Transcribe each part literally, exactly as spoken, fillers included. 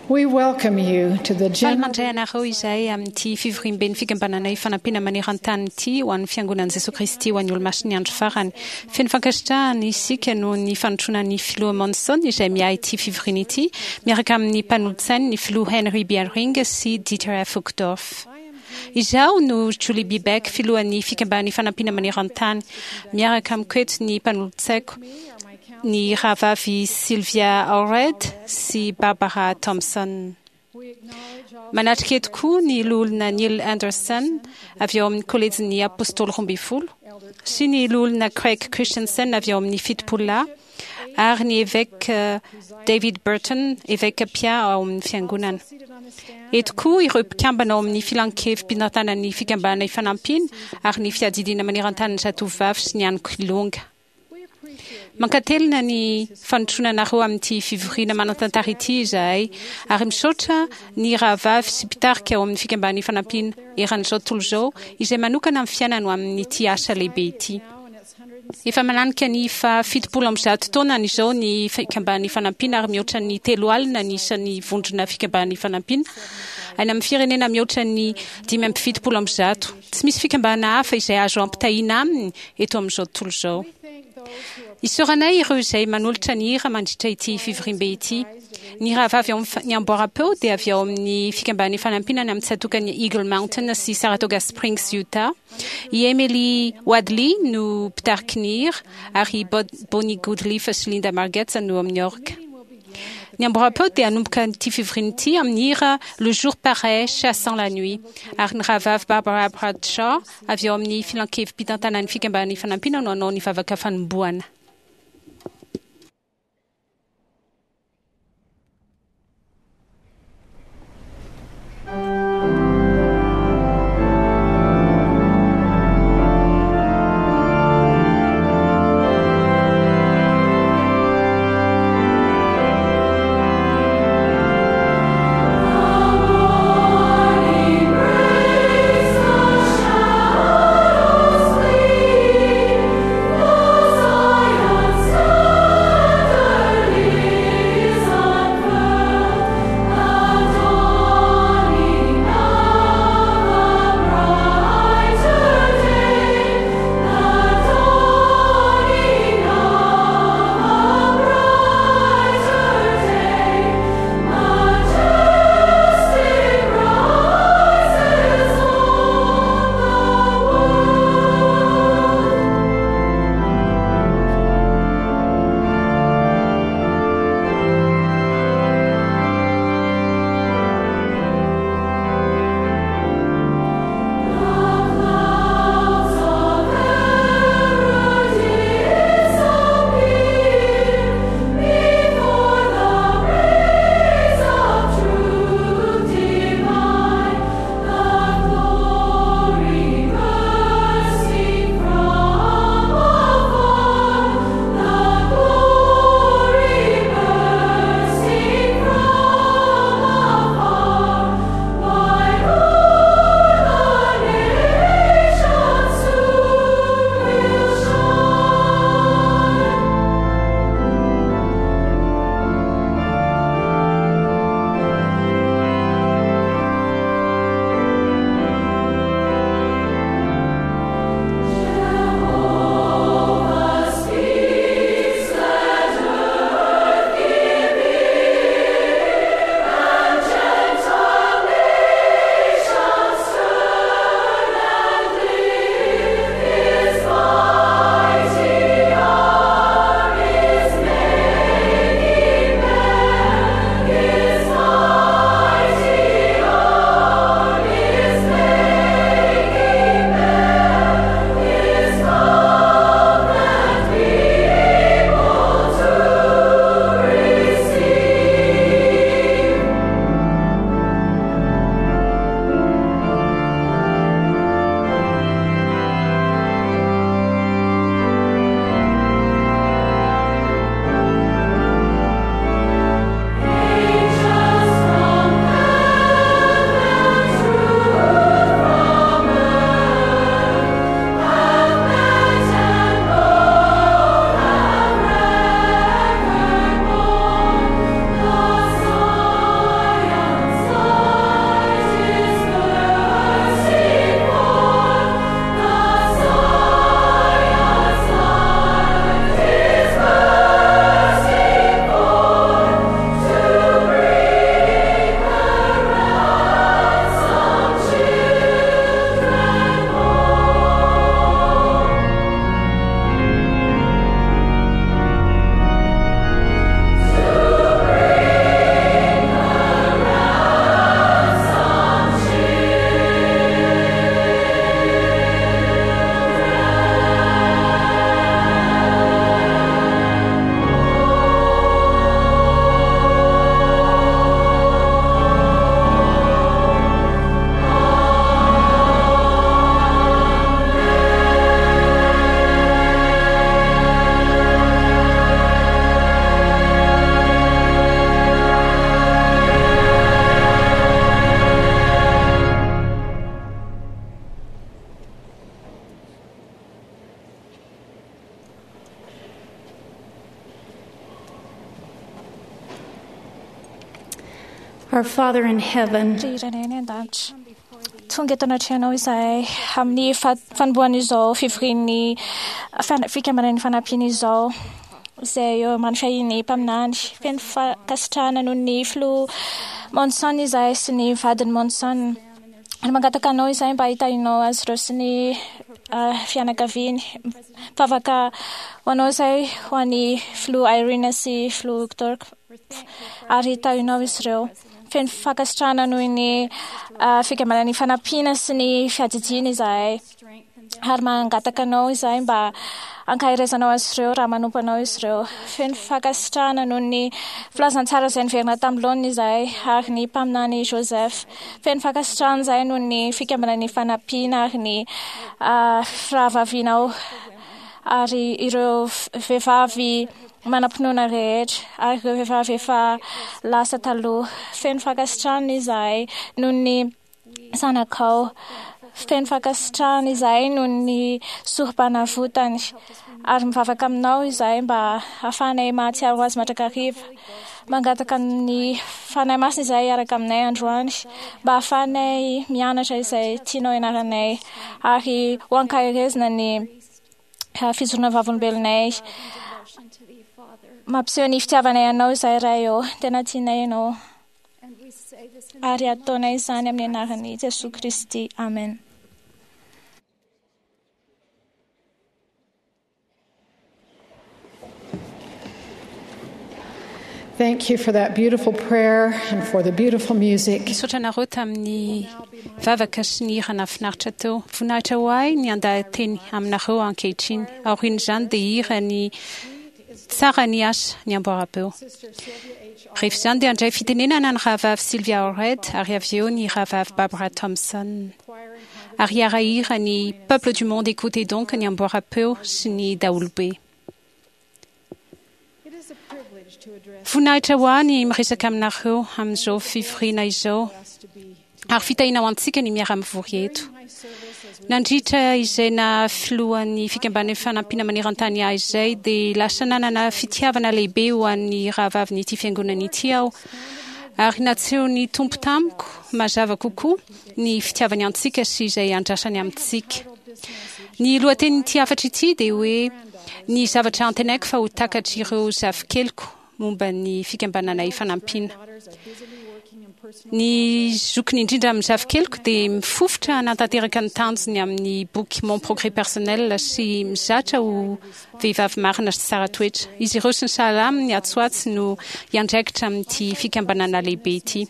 We welcome you to the Faly general mandray anareo izahay amin'ity fivoriamben'ny fikambanana Ifanampiana maneran-tany ity ho an'ny fiangonan'i Jesoa Kristy ho an'ny Olomasin'ny andro farany. Feno fankasitrahana isika noho ny fanotronan'ny filoha Monson izay miahy ity fivoriana ity miaraka amin'ny mpanolotsainy ny filoha Henry B. Eyring sy Dieter F. Uchtdorf. Izaho no Julie B. Beck, filohan'ny fikambanana Ifanampiana maneran-tany. Miaraka amiko eto ny mpanolotsaiko ny rahavavy Sylvia Allred sy Barbara Thompson. Manatrika eto koa ny loholona Neil Anderson avy ao amin'ny kolejin'ny Apôstôly roa ambin'ny folo sy ny loholona Craig Christensen avy ao amin'ny fitopololahy ary ny évêque David Burton, évêque Pia ao amin'ny fiangonana. Eto koa ireo mpikambana ao amin'ny filankevi-pitantanan'ny fikambanana Ifanampiana ary ny fiadidiana maneran-tanin'ny zatovovavy sy ny an'ny Mankatelina ny fanotronanareo amin'ity fivoriana manan-tantara ity izahay ary misaotra ny rahavavy sy mpitarika ao amin'ny fikambanana Ifanampiana eran'izao tontolo izao izay manokana amin'ny fiainana ho amin'ity asa lehibe ity. Efa mananika ny fa fitopolo amby zato taonany izao ny fikambanana Ifanampiana ary mihoatra ny telo alina ny isan'ny vondrona fikambanana Ifanampiana any amin'ny firenena mihoatra ny dimy amby fitopolo amby zato. Tsy misy fikambanana hafa izay azo ampitahiana aminy eto amin'izao tontolo izao. Isaoranay ireo izay manolotra ny hira mandritra ity fivoriambe ity. Ny rahavavy ao amin'ny ny amboaram-peo dia avy ao amin'ny fikambanana Ifanampiana any amin'ny tsatòkan'ny Eagle Mountain sy Saratoga Springs, Utah. I Emily Wadley no mpitariky ny hira ary Bonnie Goodleaf sy Linda Margetts no amin'ny orga. Ny amboaram-peo dia hanomboka ity fivoriana ity amin'ny hira Le jour paraît chassant la nuit ary ny rahavavy Barbara Bradshaw avy ao amin'ny filankevi-pitantanan'ny fikambanana Ifanampiana no hanao ny vavaka fanombohana. Morning breaks the shadows leave, the Our Father in heaven, Ry Rainay any an-danitra, tonga eto anatrehanao izahay amin'ny fa- fanombohan'izao fivorian'ny fan- fikambanan'ny fanampiana izao izay eo ambany fiahian'ny mpaminany. Feno fankasitrahana noho ny filoha Monson izahay sy ny vadiny Monson. Ary mangataka anao izahay mba hitahianao azy ireo sy ny ah, fianakaviany. Mivavaka ho anao izahay ho an'ny filoha Irene sy filoha Uchtdorf ary hitahianao izy ireo. Feno fankasitrahana noho ny ah, fikambanan'ny fanampiana sy ny fiadidiana izahay. Ary mangataka anao izahay mba ankaherezanao azy ireo raha manompo anao izy ireo. Feno fankasitrahana noho ny filazantsara izay niverina tamin'ny laoniny izahay ary ny mpaminany Joseph. Feno fankasitrahana izahay noho ny fikambanan'ny fanampiana ary ny ah, firahavavianao ary ireo v- vehivavy manam-pinoana rehetra ary ireo vehivavy efa lasa taloha. Feno fankasitrahana izahay noho ny zanakao. Feno fankasitrahana izahay noho ny sorom-panavotany ary mivavaka aminao izahay mba hahafahanay mahatsiaro azy mandrakariva. Mangataka ny Fanahy Masina izahay hiaraka aminay androany mba hahafahanay mianatra izay tianao ianaranay ary ho ankaherezina ny ah, fijoroana vavolombelonay. Mampiseho ny fitiavanay anao izahay Ray ô, tena tianay ianao. Ary ataonay izany amin'ny anaran'i Jesoa Kristy. Amen. Thank you for that beautiful prayer and for the beautiful music. Misaotra anareo tamin'ny vavaka sy ny hira nahafinaritra teo. Voninahitra ho ahy ny andahateny aminareo ankehitriny. Aorian'izany dia hira ny tsara ny asa ny amboara-peo. Rehefa izany dia handray fitenenana ny rahavavy Sylvia Allred ary avy eo ny rahavavy Barbara Thompson. Ary hiara-hira ny Peuple du monde écoutez donc ny amboara-peo sy ny daholobe. It is a privilege to address Voninahitra ho ahy ny miresaka aminareo amin'izao fivoriana izao us to be ary fitahiana ho antsika ny miara-mivory eto. my service as Nandritra izay na filohan'ny fikambanan'ny fanampiana maneran-tany ahy izay dia lasa nanana fitiavana lehibe ho an'ny rahavavin'ity fiangonana ity aho. Ary natseho ny Tompo tamiko mazava kokoa ny fitiavany antsika sy izay andrasany amintsika. Ny lohatenin'ity hafatra ity dia hoe ny zavatra antenaiko fa ho takatry ireo zafikeliko momba ny fikambanana ifanampiana. daughters are busily working in personal Ny zokiny indrindra amin'ny zafikeliko dia mifofotra hanatanteraka ny tanjony amin'ny boky Mon progrès personnel sy mizatra ho vehivavy marina sy tsara toetra. Izy ireo sy ny sahala aminy atsoatsy no hiandraikitra amin'ity fikambanana lehibe ity.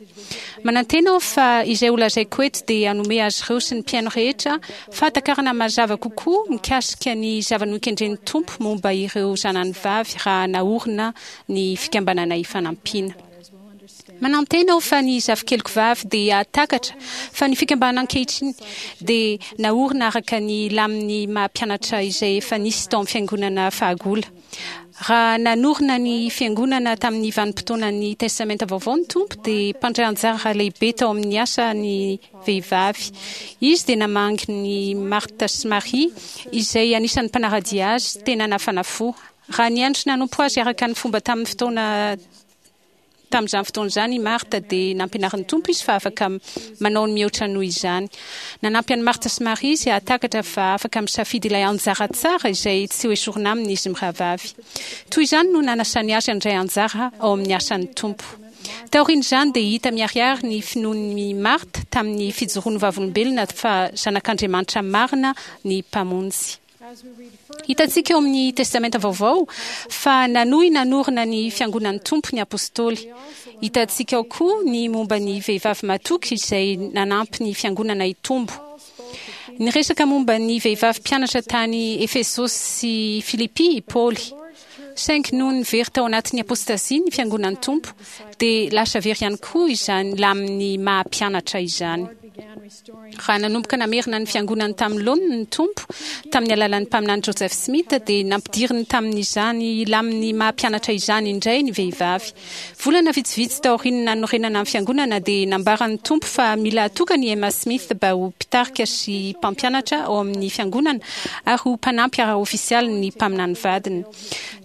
Manantena aho fa izay ho lazaiko eto dia hanome azy ireo sy ny mpihaino rehetra fahatakarana mazava kokoa mikasika ny zava-nokendren'ny Tompo momba ireo zanany vavy raha naorina ny fikambanana ifanampiana. daughters will understand Manantena aho fa ny zafikeliko vavy dia hahatakatra fa ny fikambanana ankehitriny dia naorina araka ny lamin'ny maha-mpianatra izay efa nisy tao amin'ny fiangonana fahagola. Raha nanorina ny fiangonana tamin'ny vanim-potoanan'ny Testamenta vaovao ny Tompo dia mpandray anjara lehibe tao amin'ny asa ny vehivavy. Izy dia namangy ny Marta sy Maria izay anisan'ny mpanara-dia azy tena nafana fo. Raha niandry nanompo azy araka ny fomba tamin'ny fotoana tamin'izany fotoana izany i Marta dia nampianarin'ny Tompo izy fa afaka manao ny mihoatra noho izany. Nanampy an'i Marta sy Maria izy hahatakatra fa afaka misafidy ilay anjara tsara izay tsy ho esorina aminy izy mirahavavy. Toy izany no nanasany azy handray anjara ao amin'ny asan'ny Tompo. Taorian'izany dia hita miharihary ny finoan'i Marta tamin'ny fijoroan'ny vavolombelona fa zanak'Andriamanitra marina ny Mpamonjy. as we read further Hitantsika eo amin'ny Testamenta vaovao fa nanohy nanorina ny fiangonan'ny Tompo ny apôstôly. Hitantsika ao koa ny momba ny vehivavy matoky izay nanampy ny fiangonana hitombo. Niresaka momba ny vehivavy mpianatra tany Efesosy sy Filipy i Paoly. Saingy noho ny very tao anatin'ny apôstazia ny fiangonan'ny Tompo dia lasa very ihany koa izany lamin'ny maha-mpianatra izany. Lord began restoring Raha nanomboka namerina ny fiangonany tamin'ny laoniny ny Tompo tamin'ny alalan'ny mpaminany Joseph Smith dia nampidiriny tamin'izany lamin'ny maha-mpianatra izany indray ny vehivavy. Volana vitsivitsy taorian'ny nanorenana ny fiangonana dia nambaran'ny Tompo fa mila atokana i Emma Smith mba ho mpitarika sy mpampianatra ao amin'ny fiangonana ary ho mpanampy ara-ofisialy ny mpaminany vadiny.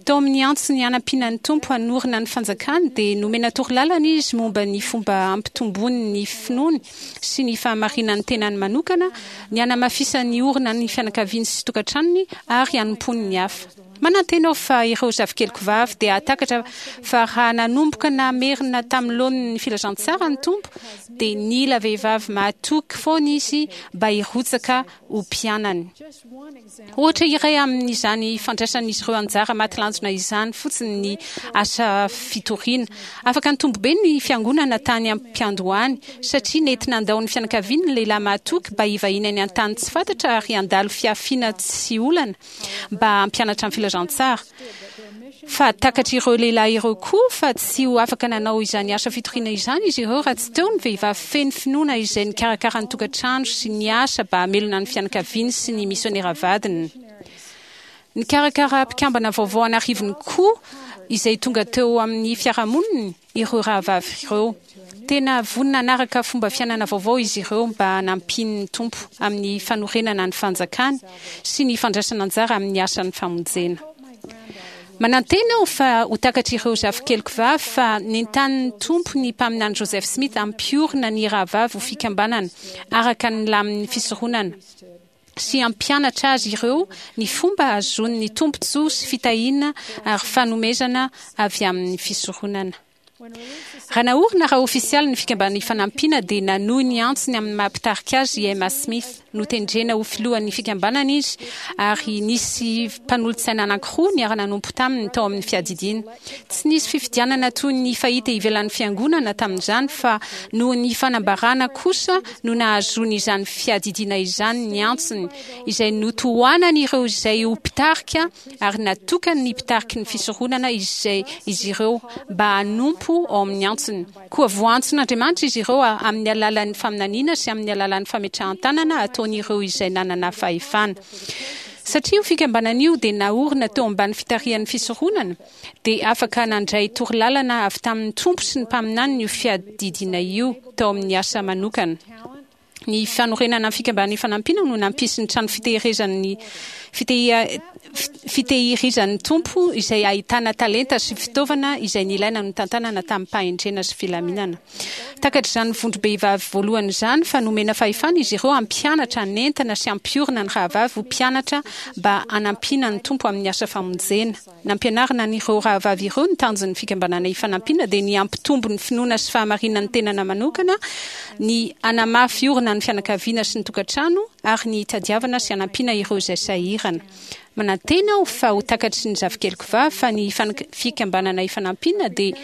Tao amin'ny antsony hanampiana ny Tompo hanorina ny fanjakany dia nomena torolalana izy momba ny fomba hampitombony ny finoany sy ny fahamarinan'ny tenany manokana, ny hanamafisany orina ny fianakaviany sy tokantranony ary hanompoany ny hafa. Manantena aho fa ireo zafikeliko vavy dia hahatakatra fa raha nanomboka namerina tamin'ny laoniny ny filazantsara ny Tompo dia nila vehivavy mahatoky foana izy mba hirotsaka ho mpianany. Ohatra iray amin'izany fandraisan'izy ireo anjara maty lanjona izany fotsiny ny asa fitoriana. Afaka nitombo be ny fiangonana tany am-piandohany satria nety nandao ny fianakaviany ny lehilahy mahatoky mba hivahiny any an-tany tsy fantatra ary handalo fiafiana tsy olana mba hampianatra ny filazantsara. Fa takatr'ireo lehilahy ireo koa fa tsy ho afaka nanao izany asa fitoriana izany izy ireo raha tsy teo ny vehivavy feno finoana izay nikarakara ny tokantrano sy ny asa mba hamelona ny fianakaviany sy ny misionera vadiny. Nikarakara mpikambana vaovao an'arivony koa izay tonga teo amin'ny fiarahamoniny ireo rahavavy ireo. Tena vonona hanaraka fomba fiainana vaovao izy ireo mba hanampian'ny Tompo amin'ny fanorenana ny fanjakany sy ny fandraisana anjara amin'ny asan'ny famonjena. Manantena aho fa ho takatr'ireo zafikeliko vavy fa nentanin'ny Tompo ny mpaminany Joseph Smith hampiorina ny rahavavy ho fikambanana araka ny lamin'ny fisoronana sy hampianatra azy ireo ny fomba ahazoany ny tombontsoa sy fitahiana ary fanomezana avy amin'ny fisoronana. Raha naorina raha ofisialy ny fikambanana Ifanampiana dia nanohy ny antsony amin'ny maha mpitarika azy i Emma Smith. Notendrena ho filohan'ny fikambanana izy ary nisy mpanolotsaina anankiroa niara-nanompo taminy tao amin'ny fiadidiana. Tsy nisy fifidianana toy ny fahita ivelan'ny fiangonana tamin'izany fa noho ny fanambarana kosa no nahazoany izany fiadidiana izany ny antsony izay notohanany ireo izay ho mpitarika ary natokany ny mpitariky ny fisoronana izay izy ireo mba hanompo ao amin'ny antsony. Koa voantson'Andriamanitra izy ireo amin'ny alalan'ny faminaniana sy amin'ny alalan'ny fametrahan-tanana ataon'ireo izay nanana fahefana. Satria io fikambanana io dia naorina teo ambany fitarihan'ny fisoronana dia afaka nandray torolalana avy tamin'ny Tompo sy ny mpaminaniny io fiadidiana io tao amin'ny asa manokana. Ny fanorenana ny fikambanana Ifanampiana no nampisy ny trano fitehirizan'ny fitehirizan'ny Tompo izay ahitana talenta sy fitaovana izay nilaina notantanana tamin'ny-pahendrena sy filaminana. Takatr'izany vondrom-behivavy voalohany izany fa nomena fahefana izy ireo hampianatra, hanentana sy hampiorina ny rahavavy ho mpianatra mba hanampiana ny Tompo amin'ny asa famonjena. Nampianarina an'ireo rahavavy ireo ny tanjon'ny fikambanana Ifanampiana dia ny hampitombo ny finoana sy fahamarinan'ny tenana manokana, ny hanamafy orina ny fianakaviana sy ny tokantrano ary ny hitadiavana sy hanampiana ireo izay sahirana. Manantena aho fa ho takatry ny zafikeliko vavy fa ny fikambanana Ifanampiana dia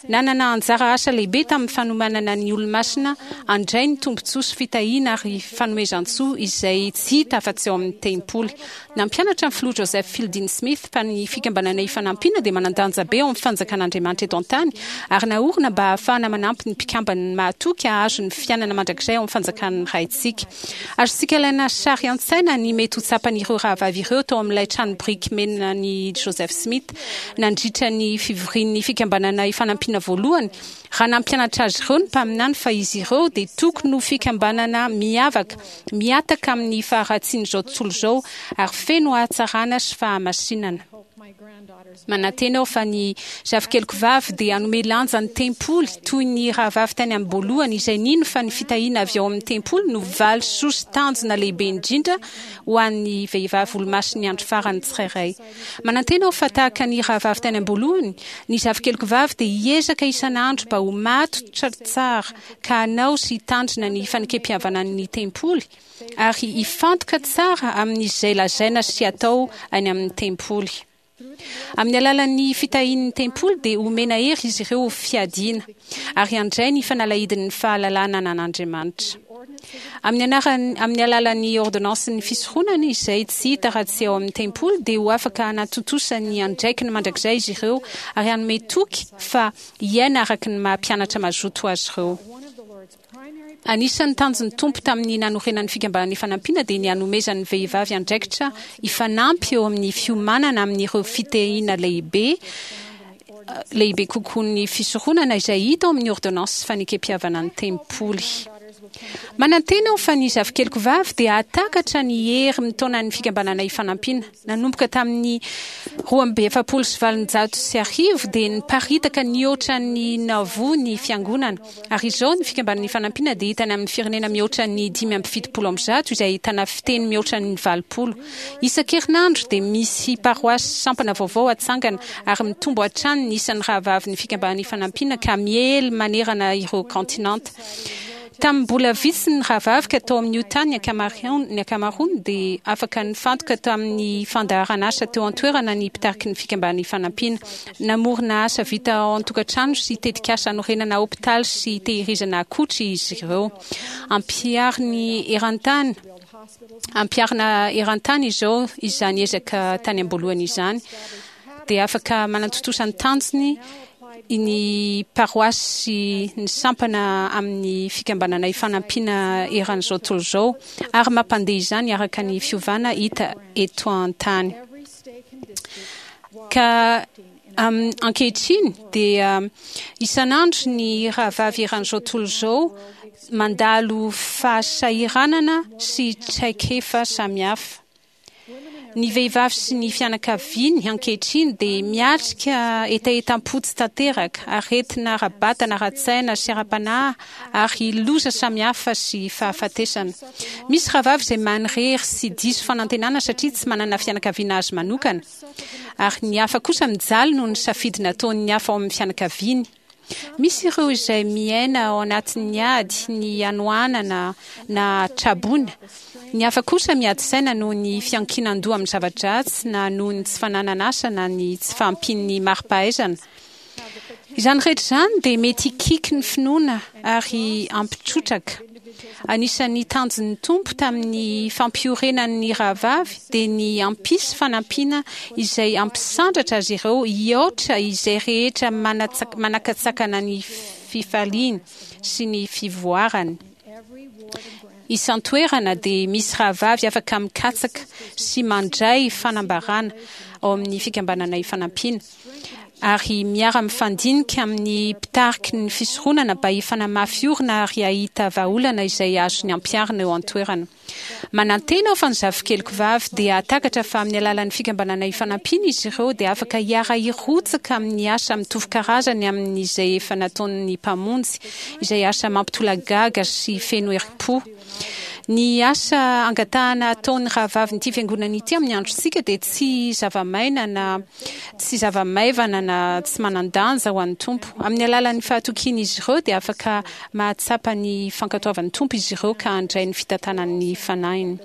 nanana anjara asa lehibe tamin'ny fanomanana ny olomasina handray ny tombontsoa sy fitahiana ary fanomezan-tsoa izay tsy hita afa-tsy ao amin'ny tempoly. Nampianatra ny filoha Joseph Fielding Smith fa ny fikambanana Ifanampiana dia manan-danja be ao amin'ny fanjakan'Andriamanitra eto an-tany ary naorina mba hahafahana manampy ny mpikambany mahatoky hahazo ny fiainana mandrakizay ao amin'ny fanjakan'ny Raintsika. Azontsika alaina sary an-tsaina ny mety ho tsapan'ireo rahavavy ireo tao amin'ilay trano biriky mena ny Joseph Smith nandritra ny fivorian'ny fikambanana Ifanampiana voalohany raha nampianatra azy ireo ny mpaminany fa izy ireo dia tokony ho fikambanana miavaka mihataka amin'ny faharatsian'izao tontolo izao ary feno hatsarana sy fahamasinana. Manantena aho fa ny zafikeliko vavy dia hanome lanja ny tempoly toy ny rahavavy tany am-boalohany izay nino fa ny fitahiana avy ao amin'ny tempoly no valisoa sy tanjona lehibe indrindra ho an'ny vehivavy olomasin'ny andro farany tsirairay. Manantena aho fa tahaka ny rahavavy tany am-boalohany, ny zafikeliko vavy dia hiezaka isan'andro mba ho matotra tsara ka hanao sy hitandrina ny fanekem-pihavanan'ny tempoly ary hifantoka tsara amin'izay lazaina sy atao any amin'ny tempoly. Amin'ny alalan'ny fitahian'ny tempoly dia omena hery izy ireo ho fiadiana ary handray ny fanalahidin'ny fahalalana an'Andriamanitra. Amin'ny anarany amin'ny alalan'ny ordonnansin'ny fisoronana izay tsy hita raha tsy ao amin'ny tempoly dia ho afaka hanatontosa ny andraikiny mandrakizay izy ireo ary hanome toky fa hiaina araka ny maha mpianatra mazoto azy ireo. Anisan'ny tanjon'ny Tompo tamin'ny nanorenan'ny fikambanana Ifanampiana dia ny hanomezan'ny vehivavy andraikitra hifanampy eo amin'ny fiomanana amin'ireo fitahiana lehibe lehibe kokoa ny fisoronana izay hita ao amin'ny ordonnance fanekem-pihavanan'ny tempoly. Manantena aho fa ny zafikeliko vavy dia hahatakatra ny hery mitaona ny Fikambanana Ifanampiana. Nanomboka tamin'ny roa amby efapolo sy valonjato sy arivo dia niparitaka nihoatra ny Nauvoo ny fiangonana. Ary izao ny Fikambanana Ifanampiana dia hitany amin'ny firenena mihoatra ny dimy amby fitopolo amby zato izay ahitana fiteny mihoatra ny valopolo. Isan-kerinandro dia misy paroasy sampana vaovao atsangana ary mitombo hatrany ny isan'ny rahavavin'ny Fikambanana Ifanampiana ka miely manerana ireo kontinanta. Tamin'ny mbola vitsy ny rahavavy ka tao amin'ny Utah ny ankamaroany, ny ankamaroany dia afaka nifantoka tamin'ny fandaharan'asa teo an-toerana ny mpitariky ny Fikambanana Ifanampiana. Namorona asa vita ao an-tokantrano sy tetikasa hanorenana hopitaly sy tehirizana akotry izy ireo. Ampihariny eran-tany, ampiharina eran-tany izao izany ezaka tany am-boalohany izany. Dia afaka manatontosa ny tanjony ny paroasy ny sampana amin'ny Fikambanana Ifanampiana eran'izao tontolo izao ary mampandeha izany araka ny fiovana hita eto an-tany. Ka ankehitriny dia isan'andro ny rahavavy eran'izao tontolo izao mandalo fahasahiranana sy traikefa samihafa. Ny vehivavy sy ny fianakaviany ankehitriny dia miatrika hetahetam-po tsy tanteraka, aretina ara-batana, ara-tsaina sy ara-panahy ary loza samihafa sy fahafatesana. Misy rahavavy izay manirery sy diso fanantenana satria tsy manana fianakaviana azy manokana, ary ny hafa kosa mijaly noho ny safidy nataon'ny hafa ao amin'ny fianakaviany. Misy ireo izay miaina ao anatin'ny ady, ny hanoanana na traboina. Ny hafa kosa miady saina noho ny fiankinan-doha amin'ny zava-dratsy na noho ny tsy fananana asa na ny tsy fahampian'ny mari-pahaizana. Izany rehetra izany dia mety hikiky ny finoana ary hampitrotraka. Anisan'ny tanjon'ny Tompo tamin'ny fampiorenany ny rahavavy dia ny hampisy fanampiana izay hampisandratra azy ireo hihoatra izay rehetra manakatsakana ny fifaliany sy ny fivoarany. Isan-toerana dia misy rahavavy afaka mikatsaka sy mandray fanambarana ao amin'ny Fikambanana Ifanampiana ary miara-mifandinika amin'ny mpitariky ny fisoronana mba hifanamafy orina ary hahita vahaolana izay azony ampiharina eo an-toerana. Manantena aho fa ny zafikeliko vavy dia hahatakatra fa amin'ny alalan'ny Fikambanana Ifanampiana izy ireo dia afaka hiara-hirotsaka amin'ny asa mitovy karazany amin'izay efa nataon'ny Mpamonjy, izay asa mampitolagaga sy feno herim-po. Ny asa angatahana ataon'ny rahavavin'ity fiangonana ity amin'ny androntsika dia tsy zava-maina na tsy zava-maivana na tsy manan-danja ho an'ny Tompo. Amin'ny alalan'ny fahatokian'izy ireo dia afaka mahatsapa ny fankatoavan'ny Tompo izy ireo ka handray ny fitantanan'ny Fanahiny.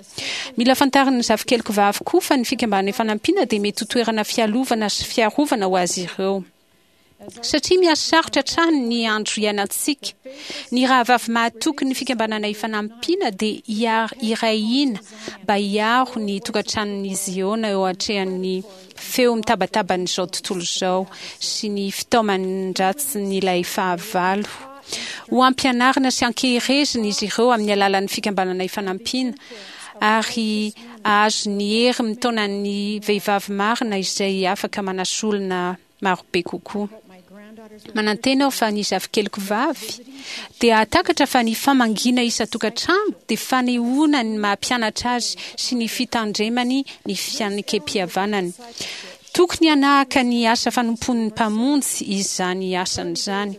Mila fantarin'ny zafikeliko vavy koa fa ny Fikambanana Ifanampiana dia mety ho toerana fialovana sy fiarovana ho azy ireo. Satria mihasarotra hatrany ny andro iainantsika, ny rahavavy mahatoky ny Fikambanana Ifanampiana dia hiray hina mba hiaro ny tokantranon'i Ziona eo atrehan'ny feo mitabataban'izao tontolo izao sy ny fitaoman-dratsin'ilay fahavalo. Ho ampianarina sy ankeherezina izy ireo amin'ny alalan'ny Fikambanana Ifanampiana ary hahazo ny hery mitaona ny vehivavy marina izay afaka manasolona marobe kokoa. Manantena aho fa ny zafikeliko vavy dia hahatakatra fa ny famangiana isan-tokantrano dia fanehoana ny maha-mpianatra azy sy ny fitandremany ny fianekempihavanany. Tokony hanahaka ny asa fanompoan'ny Mpamonjy izany asany izany.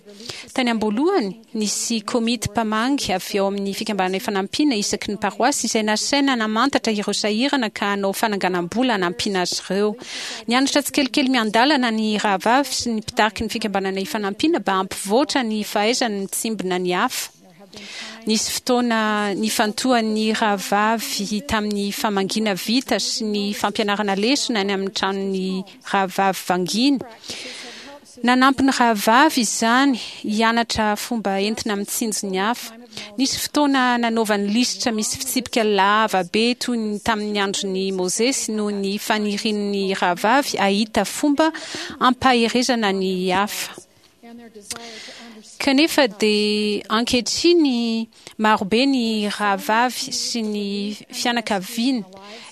Tany am-boalohany, nisy komity mpamangy avy ao amin'ny Fikambanana Ifanampiana isaky ny paroasy izay nasaina namantatra ireo sahirana ka hanao fananganam-bola hanampiana azy ireo. Nianatra tsikelikely miandalana ny rahavavy sy ny mpitariky ny Fikambanana Ifanampiana mba hampivoatra ny fahaizany mitsimbina ny hafa. Nisy fotoana nifantohan'ny rahavavy tamin'ny famangiana vita sy ny fampianarana lesona any amin'ny tranon'ny rahavavy vangiana. Nanampy ny rahavavy izany hianatra fomba entina mitsinjo ny hafa. Nisy fotoana nanaovany lisitra misy fitsipika lava be toy ny tamin'ny andron'i Mosesy noho ny fanirian'ny rahavavy hahita fomba hampaherezana ny hafa. Kanefa dia ankehitriny marobe ny rahavavy sy ny fianakaviany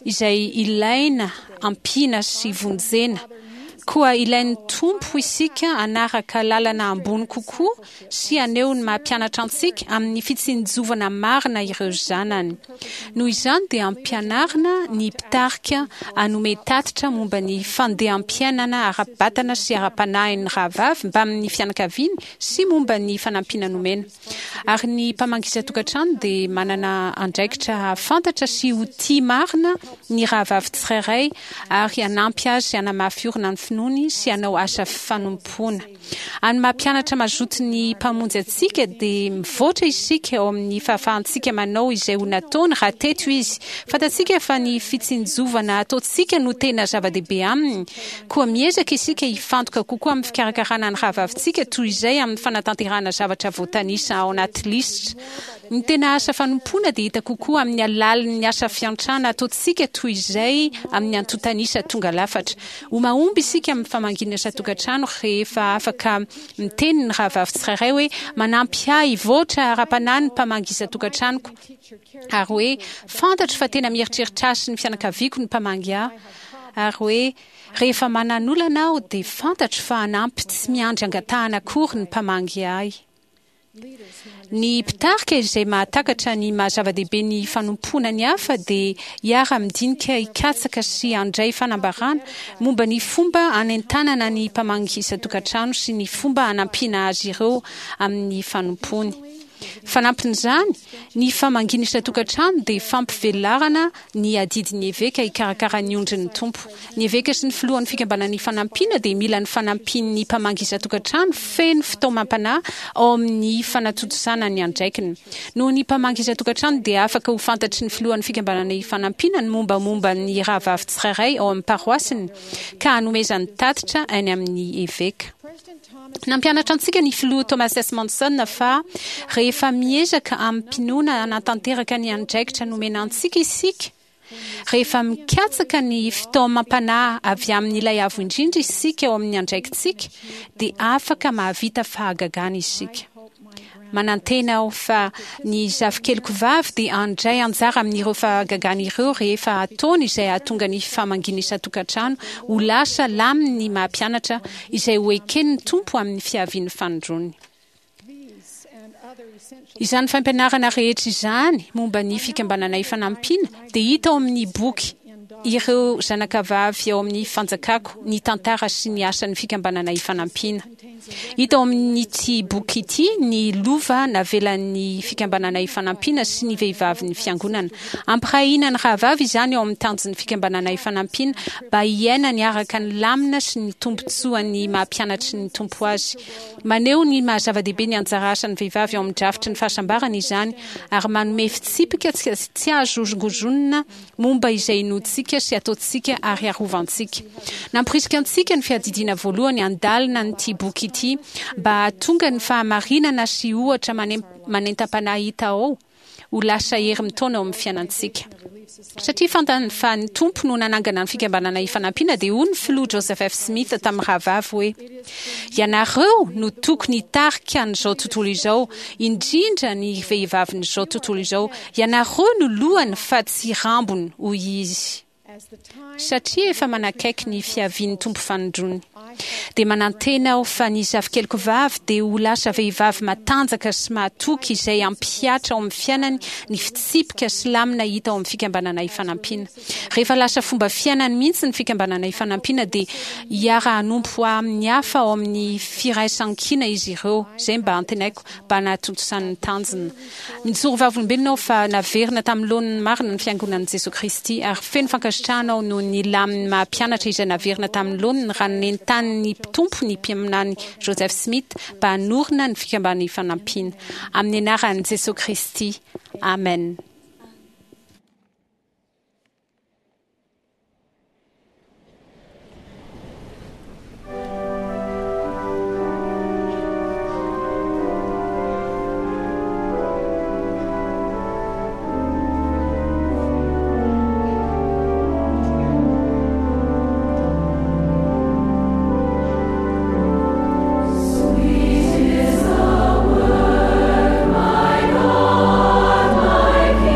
izay ilaina ampiana sy vonjena. Koa ilain'ny Tompo isika hanaraka lalana ambony kokoa sy haneho ny maha-mpianatra antsika amin'ny fitsinjovana marina ireo zanany. Noho izany dia ampianarina ny mpitarika hanome tatitra momba ny fandeham-piainana ara-batana sy ara-panahin'ny rahavavy mbamin'ny fianakaviany sy momba ny fanampiana nomena. Ary ny mpamangy isan-tokantrano dia manana andraikitra hahafantatra sy ho tia marina ny rahavavy tsirairay ary hanampy azy hanamafy orina ny finoany sy hanao asa fanompoana. Amin'ny maha-mpianatra mazoto ny Mpamonjy antsika dia mivoatra isika ao amin'ny fahafahantsika manao izay ho nataony raha teto izy. Fantatsika fa ny fitsinjovana ataontsika no tena zava-dehibe aminy. Koa miezaka isika hifantoka kokoa amin'ny fikarakarana ny rahavavintsika toy izay amin'ny fanatanterahana zavatra voatanisa ao anaty lisitra. Ny tena asa fanompoana dia hita kokoa amin'ny alalan'ny asa fiantrana ataontsika toy izay amin'ny antontanisa tonga lafatra. Ho mahomby isika amin'ny famangiana isan-tokantrano rehefa afaka miteny ny rahavavy tsirairay hoe manampy ahy hivoatra ara-panahy ny mpamangy isan-tokantranoko, ary hoe fantatro fa tena mieritreritra ahy sy ny fianakaviako ny mpamangy ahy, ary hoe rehefa manan'olana aho dia fantatro fa hanampy tsy miandry angatahana akory ny mpamangy ahy. Ny mpitarika izay mahatakatra ny maha-zava-dehibe ny fanompoana ny hafa dia hiara-midinika hikatsaka sy handray fanambarana momba ny fomba hanentanana ny mpamangy isan-tokantrano sy ny fomba hanampiana azy ireo amin'ny fanompoany. Fanampin'izany, ny famangiana isan-tokantrano dia fampivelarana ny adidin'ny eveka hikarakara ny ondrin'ny Tompo. Ny eveka sy ny filohan'ny fikambanan'ny fanampiana dia mila ny fanampian'ny mpamangy isan-tokantrano feno fitaomam-panahy ao amin'ny fanatontosana ny andraikiny. Noho ny mpamangy isan-tokantrano dia afaka ho fantatry ny filohan'ny fikambanan'ny fanampiana ny mombamomba ny rahavavy tsirairay ao amin'ny paroasiny ka hanomezany tatitra any amin'ny eveka. Nampianatra antsika ny filoha Thomas S. Monson fa rehefa miezaka amim-pinoana hanatanteraka ny andraikitra nomena antsika isika, rehefa mikatsaka ny fitaomam-panahy avy amin'ilay Avo Indrindra isika ao amin'ny andraikitsika, dia afaka mahavita fahagagana isika. Manantena aho fa ny zafikeliko vavy dia handray anjara amin'ireo fahagagana ireo rehefa ataony izay hahatonga ny famangiana isan-tokantrano ho lasa lamin'ny maha-mpianatra izay ho eken'ny Tompo amin'ny fiavian'ny fanindroany. Izany fampianarana rehetra izany momba ny fikambanana ifanampiana dia hita ao amin'ny boky Ireo zanakavavy ao amin'ny fanjakako, ny tantara sy ny asan'ny fikambanana ifanampiana. Hita ao amin'ity boky ity ny lova navelan'ny fikambanana ifanampiana sy ny vehivavin'ny fiangonana. Ampirahina ny rahavavy izany ao amin'ny tanjon'ny fikambanana ifanampiana mba hiainany araka ny lamina sy ny tombontsoan'ny maha-mpianatry ny Tompo azy. Maneho ny maha-zava-dehibe ny anjara asan'ny vehivavy ao amin'ny drafitry ny fahasambarana izany ary manome fitsipika tsy azo hozongozonina momba izay inoantsika sy ataontsika ary arovantsika. Namporisika antsika ny fiadidiana voalohany handalina an'ity boky ity mba hahatonga ny fahamarinana sy ohatra manentam-panahy hita ao ho lasa hery mitaona ao amin'ny fiainantsika. Satria fantany fa ny Tompo no nanangana ny fikambanana ifanampiana dia hoy ny filoha Joseph F. Smith tamin'ny rahavavy hoe, Ianareo no tokony hitarika an'izao tontolo izao, indrindra ny vehivavin'izao tontolo izao. Ianareo no lohany fa tsy rambony, hoy izy. Satria efa manakaiky ny fiavian'ny Tompo fanindroany, dia manantena aho fa ny zafikeliko vavy dia ho lasa vehivavy matanjaka sy mahatoky izay hampihatra ao amin'ny fiainany ny fitsipika sy lamina hita ao amin'ny fikambanana ifanampiana. Rehefa lasa fomba fiainany mihitsy ny fikambanana ifanampiana dia hiara-hanompo amin'ny hafa ao amin'ny firaisankina izy ireo, izay mba antenaiko mba nahatontosany ny tanjona. Mijoro vavolombelona aho fa naverina tamin'ny laoniny marina ny Fiangonan'i Jesoa Kristy, ary feno fankasitrahana aho noho ny lamin'ny maha-mpianatra izay naverina tamin'ny laoniny raha nentanin'ny Tompo ny mpaminany Joseph Smith mba hanorina ny Fikambanana Ifanampiana. Amin'ny anaran'i Jesoa Kristy, amen. Sweet is the word, my God, my King.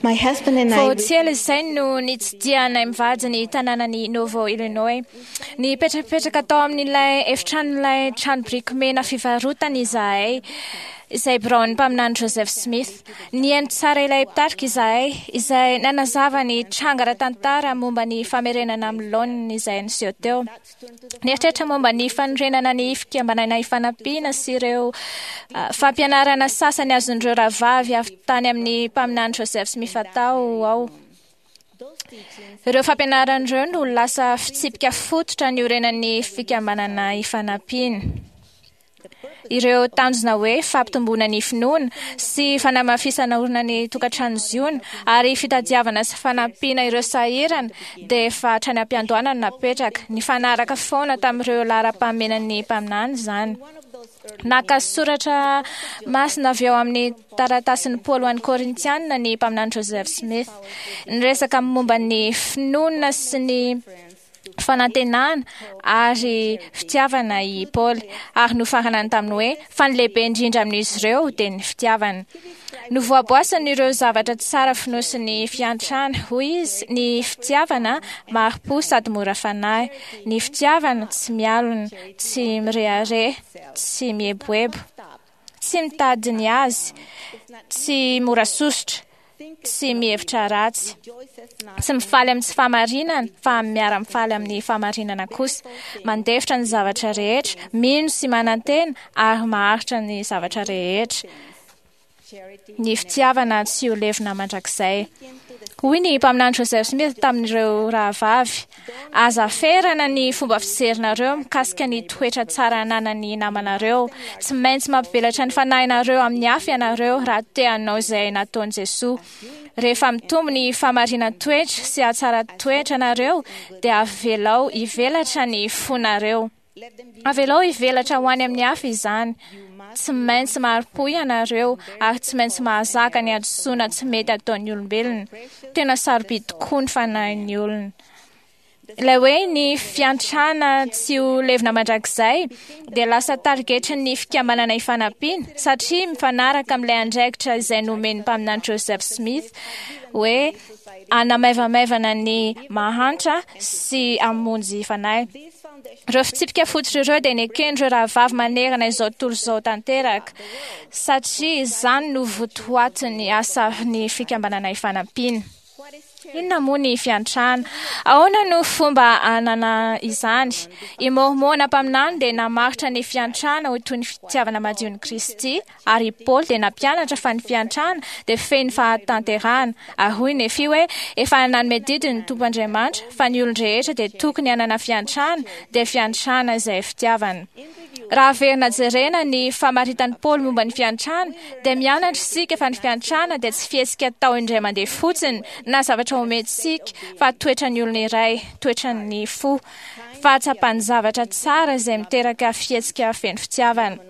My husband and I Vao tsy ela izay no nitsidihanay mivady ny tanànan'i Novo Illinois. Nipetrapetraka tao amin'ilay efitranon'ilay trano biriky mena fivarotana izahay, izay biraon'ny mpaminany Joseph Smith. Nihaino tsara ilay mpitarika izahay, izay nanazava ny tranga ara-tantara momba ny famerenana amin'ny laoniny izay niseho teo. Nieritreritra momba ny fanorenana ny fikambanana ifanampiana sy ireo ah, fampianarana sasany azon'ireo rahavavy avy tany amin'ny mpaminany Joseph Smith atao aho. Ireo fampianarana ireo no lasa fitsipika fototra niorenan'ny fikambanana ifanampiana. Ireo tanjona hoe fampitomboana ny finoana sy fanamafisana orina ny tokantrano Ziona ary fitadiavana sy fanampiana ireo sahirana dia efa hatrany am-piandohana no napetraka. Nifanaraka foana tamin'ireo laharam-pahamenan'ny mpaminany izany. Naka soratra masina avy eo amin'ny taratasin'i Paoly ho an'ny Korintianina ny mpaminany Joseph Smith. Niresaka momba ny finoana sy ny fanantenana ary fitiavana i Paoly, ary nofaranany tamin'ny hoe fa ny lehibe indrindra amin'izy ireo dia ny fitiavana. Novoaboasany ireo zavatra tsara fonosin'ny fiantrana, hoy izy: ny fitiavana mari-po sady mora fanahy, ny fitiavana tsy mialona, tsy mirehareha, tsy mieboebo, tsy mitady ny azy, tsy mora sosotra, tsy mihevitra ratsy, tsy mifaly amin'ny tsy fahamarinana fa miara-mifaly amin'ny fahamarinana kosa, mandefitra ny zavatra rehetra, mino sy manantena ary maharitra ny zavatra rehetra. Ny fitiavana tsy ho levona mandrakizay. Hoy ny mpaminany Joseph Smith tamin'ireo rahavavy: aza ferana ny fomba fijerinareo mikasika ny toetra tsara ananan'ny namanareo. Tsy maintsy mampivelatra ny fanahinareo amin'ny hafa ianareo raha te hanao izay nataon'i Jesoa. Rehefa mitombo ny fahamarinan-toetra sy hatsaran-toetra anareo dia avelao hivelatra ny fonareo. Avelao hivelatra ho any amin'ny hafa izany. Tsy maintsy mari-po ianareo ary tsy maintsy mahazaka ny hadisoana tsy mety ataon'ny olombelona. Tena sarobidy tokoa ny fanahin'ny olona. Ilay hoe ny fiantrana tsy ho levona mandrakizay dia lasa tarigetrin'ny fikambanana ifanampiana satria mifanaraka amin'ilay andraikitra izay nomen'ny mpaminany Joseph Smith hoe hanamaivamaivana ny mahantra sy hamonjy fanahy. Ireo fitsipika fototra ireo dia neken'ireo rahavavy manerana izao tontolo izao tanteraka satria izany no votoatin'ny asan'ny fikambanana ifanampiana. Inona moa ny fiantrana? Ahoana no fomba hanana izany? I Môrmôna mpaminany dia namaritra ny fiantrana ho toy ny fitiavana madion'i Kristy, ary i Paoly dia nampianatra fa ny fiantrana dia feno fahatanterahana. Ary hoy Nefy hoe efa nanome didy ny Tompo Andriamanitra fa ny olon-drehetra dia tokony hanana fiantrana, dia fiantrana izay fitiavana. Raha averina jerena ny famaritan'i Paoly momba ny fiantrana, dia mianatra isika fa ny fiantrana dia tsy fihetsika atao indray mandeha fotsiny na zavatra omentsika, fa toetran'ny olona iray, toetran'ny fo, fahatsapan'ny zavatra tsara izay miteraka fihetsika feno fitiavana.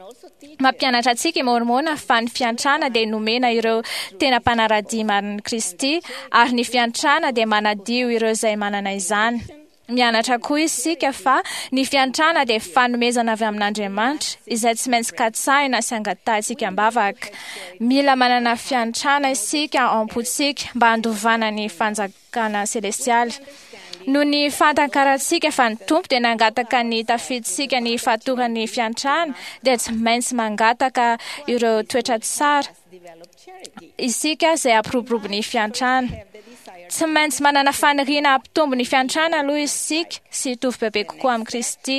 Mampianatra antsika i Môrmôna fa ny fiantrana dia nomena ireo tena mpanara-dia marin'i Kristy, ary ny fiantrana dia manadio ireo izay manana izany. Mianatra koa isika fa ny fiantrana dia fanomezana avy amin'Andriamanitra izay tsy maintsy katsahina sy angatahintsika am-bavaka. Mila manana fiantrana isika ao am-pontsika mba handovana ny fanjakana selestialy. Noho ny fahatankarantsika fa ny Tompo dia nangataka ny tafiditsika ny fahatoran'ny fiantrana, dia tsy maintsy mangataka ireo toetra tsara isika izay hampiroborobo ny fiantrana. Tsy maintsy manana faniriana hampitombo ny fiantrana aloha isika sy hitovy bebe kokoa amin'i Kristy.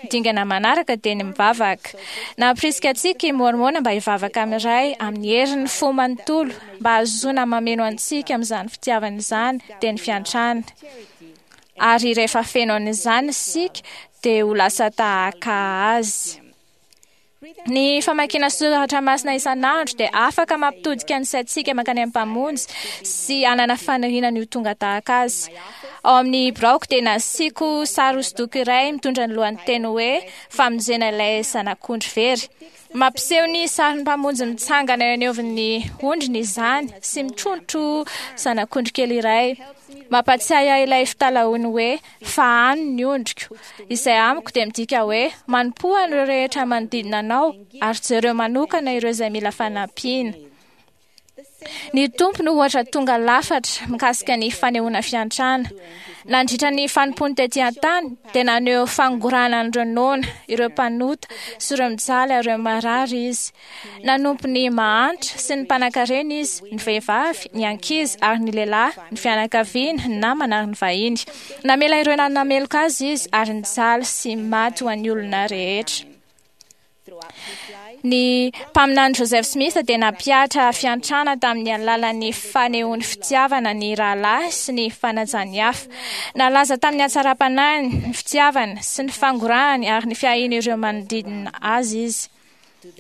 Dingana manaraka dia ny mivavaka. Nampirisika antsika i Môrmôna mba hivavaka amin'ny Ray amin'ny herin'ny fo manontolo mba hahazoana mameno antsika amin'izany fitiavana izany, dia ny fiantrana. Ary rehefa feno an'izany isika dia ho lasa tahaka Azy. Ny famakiana soratra masina isan'andro dia afaka mampitodika ny saintsika mankany amin'ny Mpamonjy sy hanana faniriana ny ho tonga tahaka Azy. Ao amin'ny biraoko dia nasiako sary hosodoko iray mitondra ny lohanteny hoe Famonjena ilay zanak'ondry very. Mampiseho ny sarin'ny Mpamonjy mitsangana eo anivon'ny ondriny izany sy mitrotro zanak'ondry kely iray. Mampatsiahy ahy ilay fitalahoany hoe fahano ny ondriko, izay amiko dia midika hoe manompoa an'ireo rehetra manodidina anao ary jereo manokana ireo izay mila fanampiana. Ny Tompo no ohatra tonga lafatra mikasika ny fanehoana fiantrana. Nandritra ny fanompoany tety an-tany dia naneho fangorahana an'ireo noana, ireo mpanota sy ireo mijaly ary ireo marary izy. Nanompo ny mahantra sy ny mpanankarena izy, ny vehivavy, ny ankizy ary ny lehilahy, ny fianakaviana, ny namana ary ny vahiny. Namela ireo nanameloka azy izy ary nijaly sy maty ho an'ny olona rehetra. Ny mpaminany Joseph Smith dia nampihatra fiantrana tamin'ny alalan'ny fanehoany fitiavana ny rahalahy sy ny fanajany hafa. Nalaza tamin'ny hatsaram-panahiny, ny fitiavana sy ny fangorahany ary ny fiahiany ireo manodidina azy izy.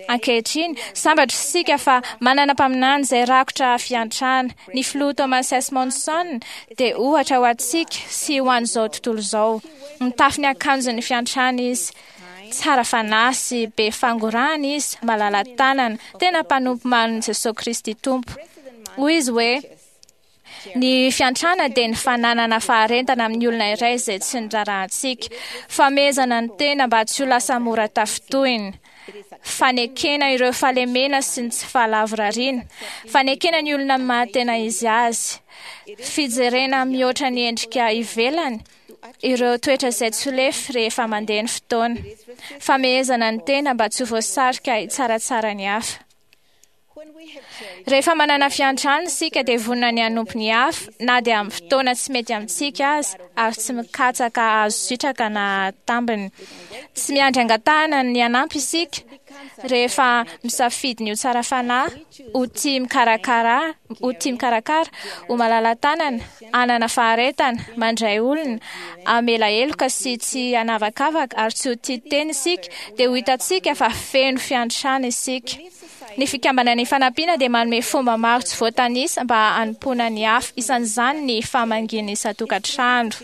Ankehitriny, sambatra isika fa manana mpaminany izay rakotra fiantrana. Ny filoha Thomas S. Monson dia ohatra ho antsika sy ho an'izao tontolo izao. Mitafy ny akanjon'ny fiantrana izy. Tsara fanahy sy be fangorahana izy, malala-tanana, tena mpanompo marin'i Jesosy Kristy Tompo. Hoy izy hoe, ny fiantrana dia ny fananana faharentana amin'ny olona iray izay tsy nirarahantsika. Famehezana ny tena mba tsy ho lasa mora tafintohina. Fanekena ireo fahalemena sy ny tsy fahalavorariana. Fanekena ny olona amin'ny maha-tena izy azy. Fijerena mihoatra ny endrika ivelany ireo toetra izay tsy ho lefy rehefa mandeha ny fotoana. Famehezana ny tena mba tsy ho voasarika hitsaratsara ny hafa. Rehefa manana fiantrana isika dia vonona ny hanompo ny hafa na dia amin'ny fotoana tsy mety amintsika aza ary tsy mikatsaka azo sitraka na tambiny. Tsy miandry angatahana ny hanampy isika rehefa misafidy ny ho tsara fanahy, ho tia mikarakara, ho tia mikarakara, ho malala-tanana, hanana faharetana, mandray olona, hamela heloka sy tsy hanavakavaka ary tsy ho tia tena isika, dia ho hitantsika fa feno fiantrana isika. Ny fikambanana Ifanampiana dia manome fomba maro tsy voatanisa mba hanompoana ny hafa, isan'izany ny famangiana isan-tokantrano.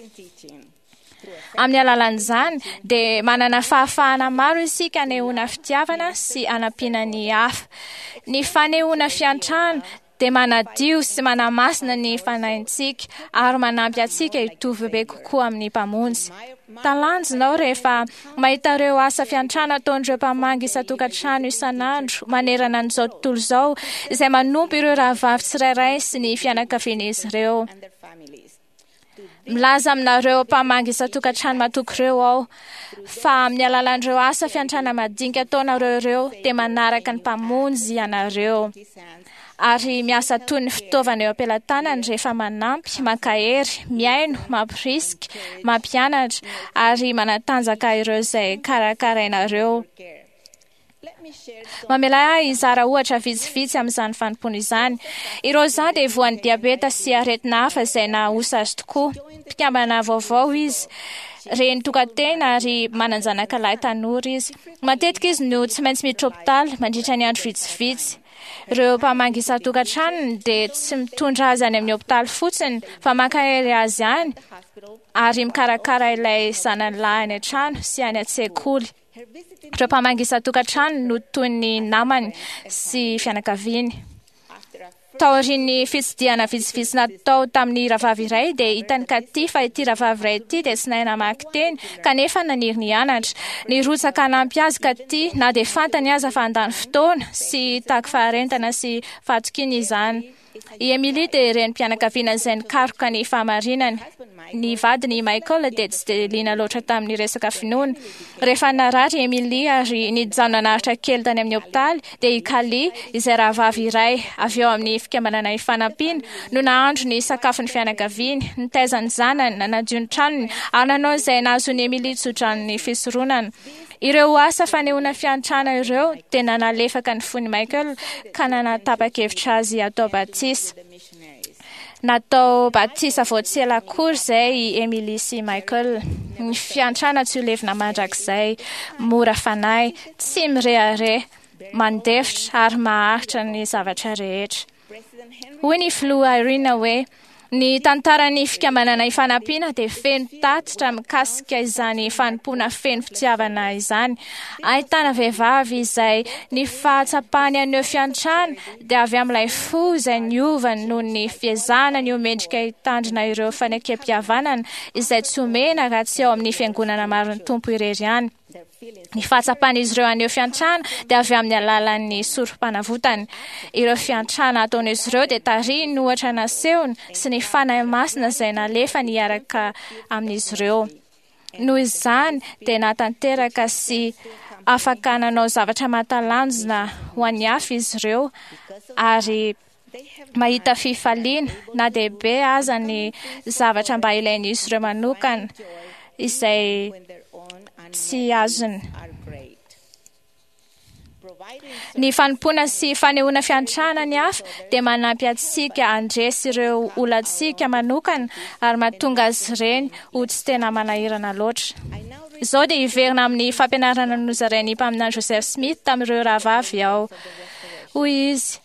Amin'ny alalan'izany dia manana fahafahana maro isika hanehoana fitiavana sy hanampiana ny hafa. Ny fanehoana fiantrana dia manadio sy manamasina ny fanahintsika ary manampy antsika hitovy be kokoa amin'ny Mpamonjy. Talanjona aho rehefa mahita ireo asa fiantrana ataon'ireo mpamangy isan-tokantrano isan'andro manerana an'izao tontolo izao izay manompo ireo rahavavy tsirairay sy ny fianakavian'izy ireo. Milaza aminareo mpamangy isan-tokantrano matoky ireo aho fa amin'ny alalan'ireo asa fiantrana madinika ataonareo ireo dia manaraka ny Mpamonjy ianareo ary miasa toy ny fitaovana eo am-pelatanany rehefa manampy, mankahery, mihaino, mampirisika, mampianatra ary manatanjaka ireo izay karakarainareo. Mamela ahy hizara ohatra vitsivitsy amin'izany fanompoana izany. I Rosa dia voan'ny diabeta sy aretina hafa izay nahaosa azy tokoa. Mpikambana vaovao izy, reny tokan-tena ary manan-janaka lahy tanora izy. Matetika izy no tsy maintsy miditra hopitaly mandritra ny andro vitsivitsy. Ireo mpamangy isan-tokantranony dia tsy mitondra azy any amin'ny hopitaly fotsiny fa mankahery azy any ary mikarakara ilay zanany lahy any an-trano sy any an-tsekoly. Ireo mpamangy isan-tokantrano no toy ny namany sy fianakaviany. Taorian'ny fitsidihana vitsivitsy natao tamin'ny rahavavy iray dia hitan'i Katy fa ity rahavavy iray ity dia tsy nahay namaky teny kanefa naniry ny hianatra. Nirotsaka hanampy azy Katy na dia fantany aza fa handany fotoana sy hitaky faharentana sy fahatokiana izany. I Emily dia renim-pianakaviana izay nikaroka ny fahamarinany. Ny vadiny Michael dia tsy dia liana loatra tamin'ny resaka finoana. Rehefa narary i Emily ary nijanona naharitra kely tany amin'ny hopitaly dia i Kali, izay rahavavy iray avy ao amin'ny fikambanana Ifanampiana, no nahandro ny sakafon'ny fianakaviany, nitaiza ny zanany, nanadio ny tranony ary nanao izay nahazoan'i Emily tsodranon'ny fisoronana. Ireo asa fanehoana fiantrana ireo dia nanalefaka ny fon'i Michael ka nanatapa-kevitra azy hatao batisa. Natao batisa vao tsy ela akory izay i Emily sy Michael. Ny fiantrana tsy ho levona mandrakizay, mora fanahy, tsy mirehareha, mandefitra ary maharitra ny zavatra rehetra. Hoy ny filoha Irene hoe, ny tantaran'ny fikambanana Ifanampiana dia feno tatitra mikasika izany fanompoana feno fitiavana izany. Ahitana vehivavy izay ny fahatsapany haneho fiantrana dia avy amin'ilay fo izay niova noho ny fiezahana ny ho mendrika hitandrina ireo fanekem-pihavanana izay tsy omena raha tsy ao amin'ny fiangonana marin'ny Tompo irery ihany. Ny fahatsapan'izy ireo haneho fiantrana dia avy amin'ny alalan'ny sorom-panavotany. Ireo fiantrana ataon'izy ireo dia tarihiny ohatra nasehony sy ny Fanahy Masina izay nalefany hiaraka amin'izy ireo. Noho izany dia nahatanteraka sy afaka nanao zavatra mahatalanjona ho an'ny hafa izy ireo ary mahita fifaliana na dia be aza ny zavatra mba ilain'izy ireo manokana izay tsy azony. Ny fanompoana sy fanehoana fiantrana ny hafa dia manampy antsika handresy ireo olantsika manokana ary mahatonga azy ireny ho tsy tena manahirana loatra. Izao dia hiverina amin'ny fampianarana nozarain'ny mpaminany Joseph Smith tamin'ireo rahavavy aho. Hoy izy: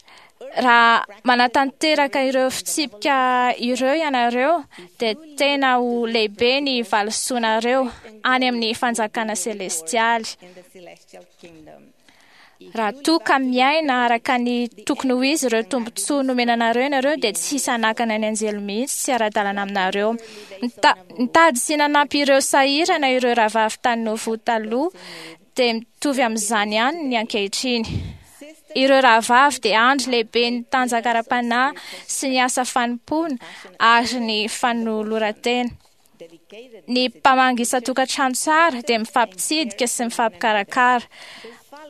raha manatanteraka ireo fitsipika ireo ianareo dia tena ho lehibe ny valisoanareo any amin'ny fanjakana selestialy. Raha toa ka miaina araka ny tokony ho izy ireo tombontsoa nomena anareo ianareo dia tsy hisy hanakana ny anjely mihitsy tsy ara-dalana aminareo. Nitady sy nanampy ireo sahirana ireo rahavavy tany Nauvoo taloha dia mitovy amin'izany ihany ny ankehitriny. Ireo rahavavy dia andry lehibe ny tanjaka ara-panahy sy ny asa fanompoana ary ny fanoloran-tena. Ny mpamangy isan-tokantrano tsara dia mifampitsidika sy mifampikarakara.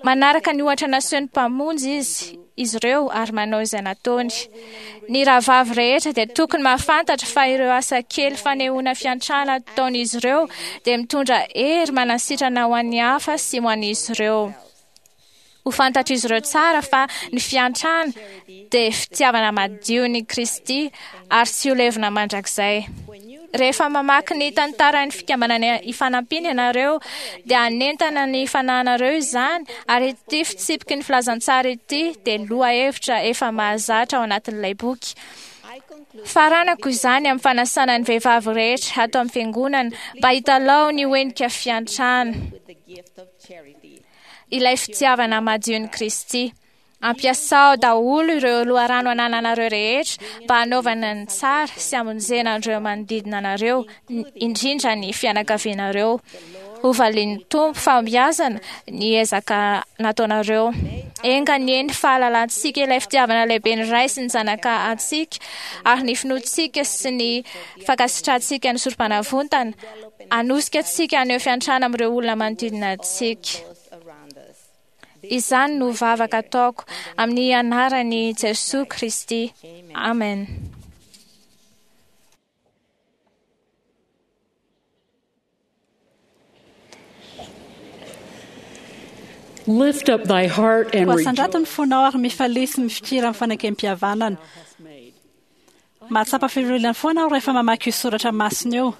Manaraka ny ohatra nasehon'ny mpamonjy izy izy ireo ary manao izay nataony. Ny rahavavy rehetra dia tokony mahafantatra fa ireo asa kely fanehoana fiantrana ataon'izy ireo dia mitondra hery manasitrana ho an'ny hafa sy ho an'izy ireo. Ho fantatr'izy ireo tsara fa ny fiantrana dia fitiavana madio ny Kristy ary tsy ho levona mandrakizay. Rehefa mamaky ny tantaran'ny fikambanana ifanampiana ianareo dia hanentana ny fanahinareo izany ary ity fitsipiky ny filazantsara ity dia lohahevitra efa mahazatra ao anatin'ilay boky. Faranako izany amin'ny fanasana ny vehivavy rehetra ato amin'ny fiangonana mba hitalao ny ho henika fiantrana, ilay fitiavana madion'i Kristy. Ampiasao daholo ireo loharano anananareo rehetra mba hanaovana ny tsara sy hamonjena an'ireo manodidina anareo, indrindra ny fianakavianareo. Ho valian'ny Tompo fahombiazana ny ezaka nataonareo. Enga anie ny fahalalantsika ilay fitiavana lehibe ny Ray sy ny Zanaka antsika ary ny finoantsika sy ny fankasitrahantsika ny sorom-panavotana hanosika antsika haneho fiantrana amin'ireo olona manodidina antsika. Izany no vavaka ataoko amin'ny anaran'i Jesoa Kristy. Amen. Lift up thy heart and Koa asandrato ny rejoice. fonao ary mifalia sy mifikira amin'ny fanekempihavanana. Mahatsapa fifaliana foana aho rehefa mamaky io soratra masina io.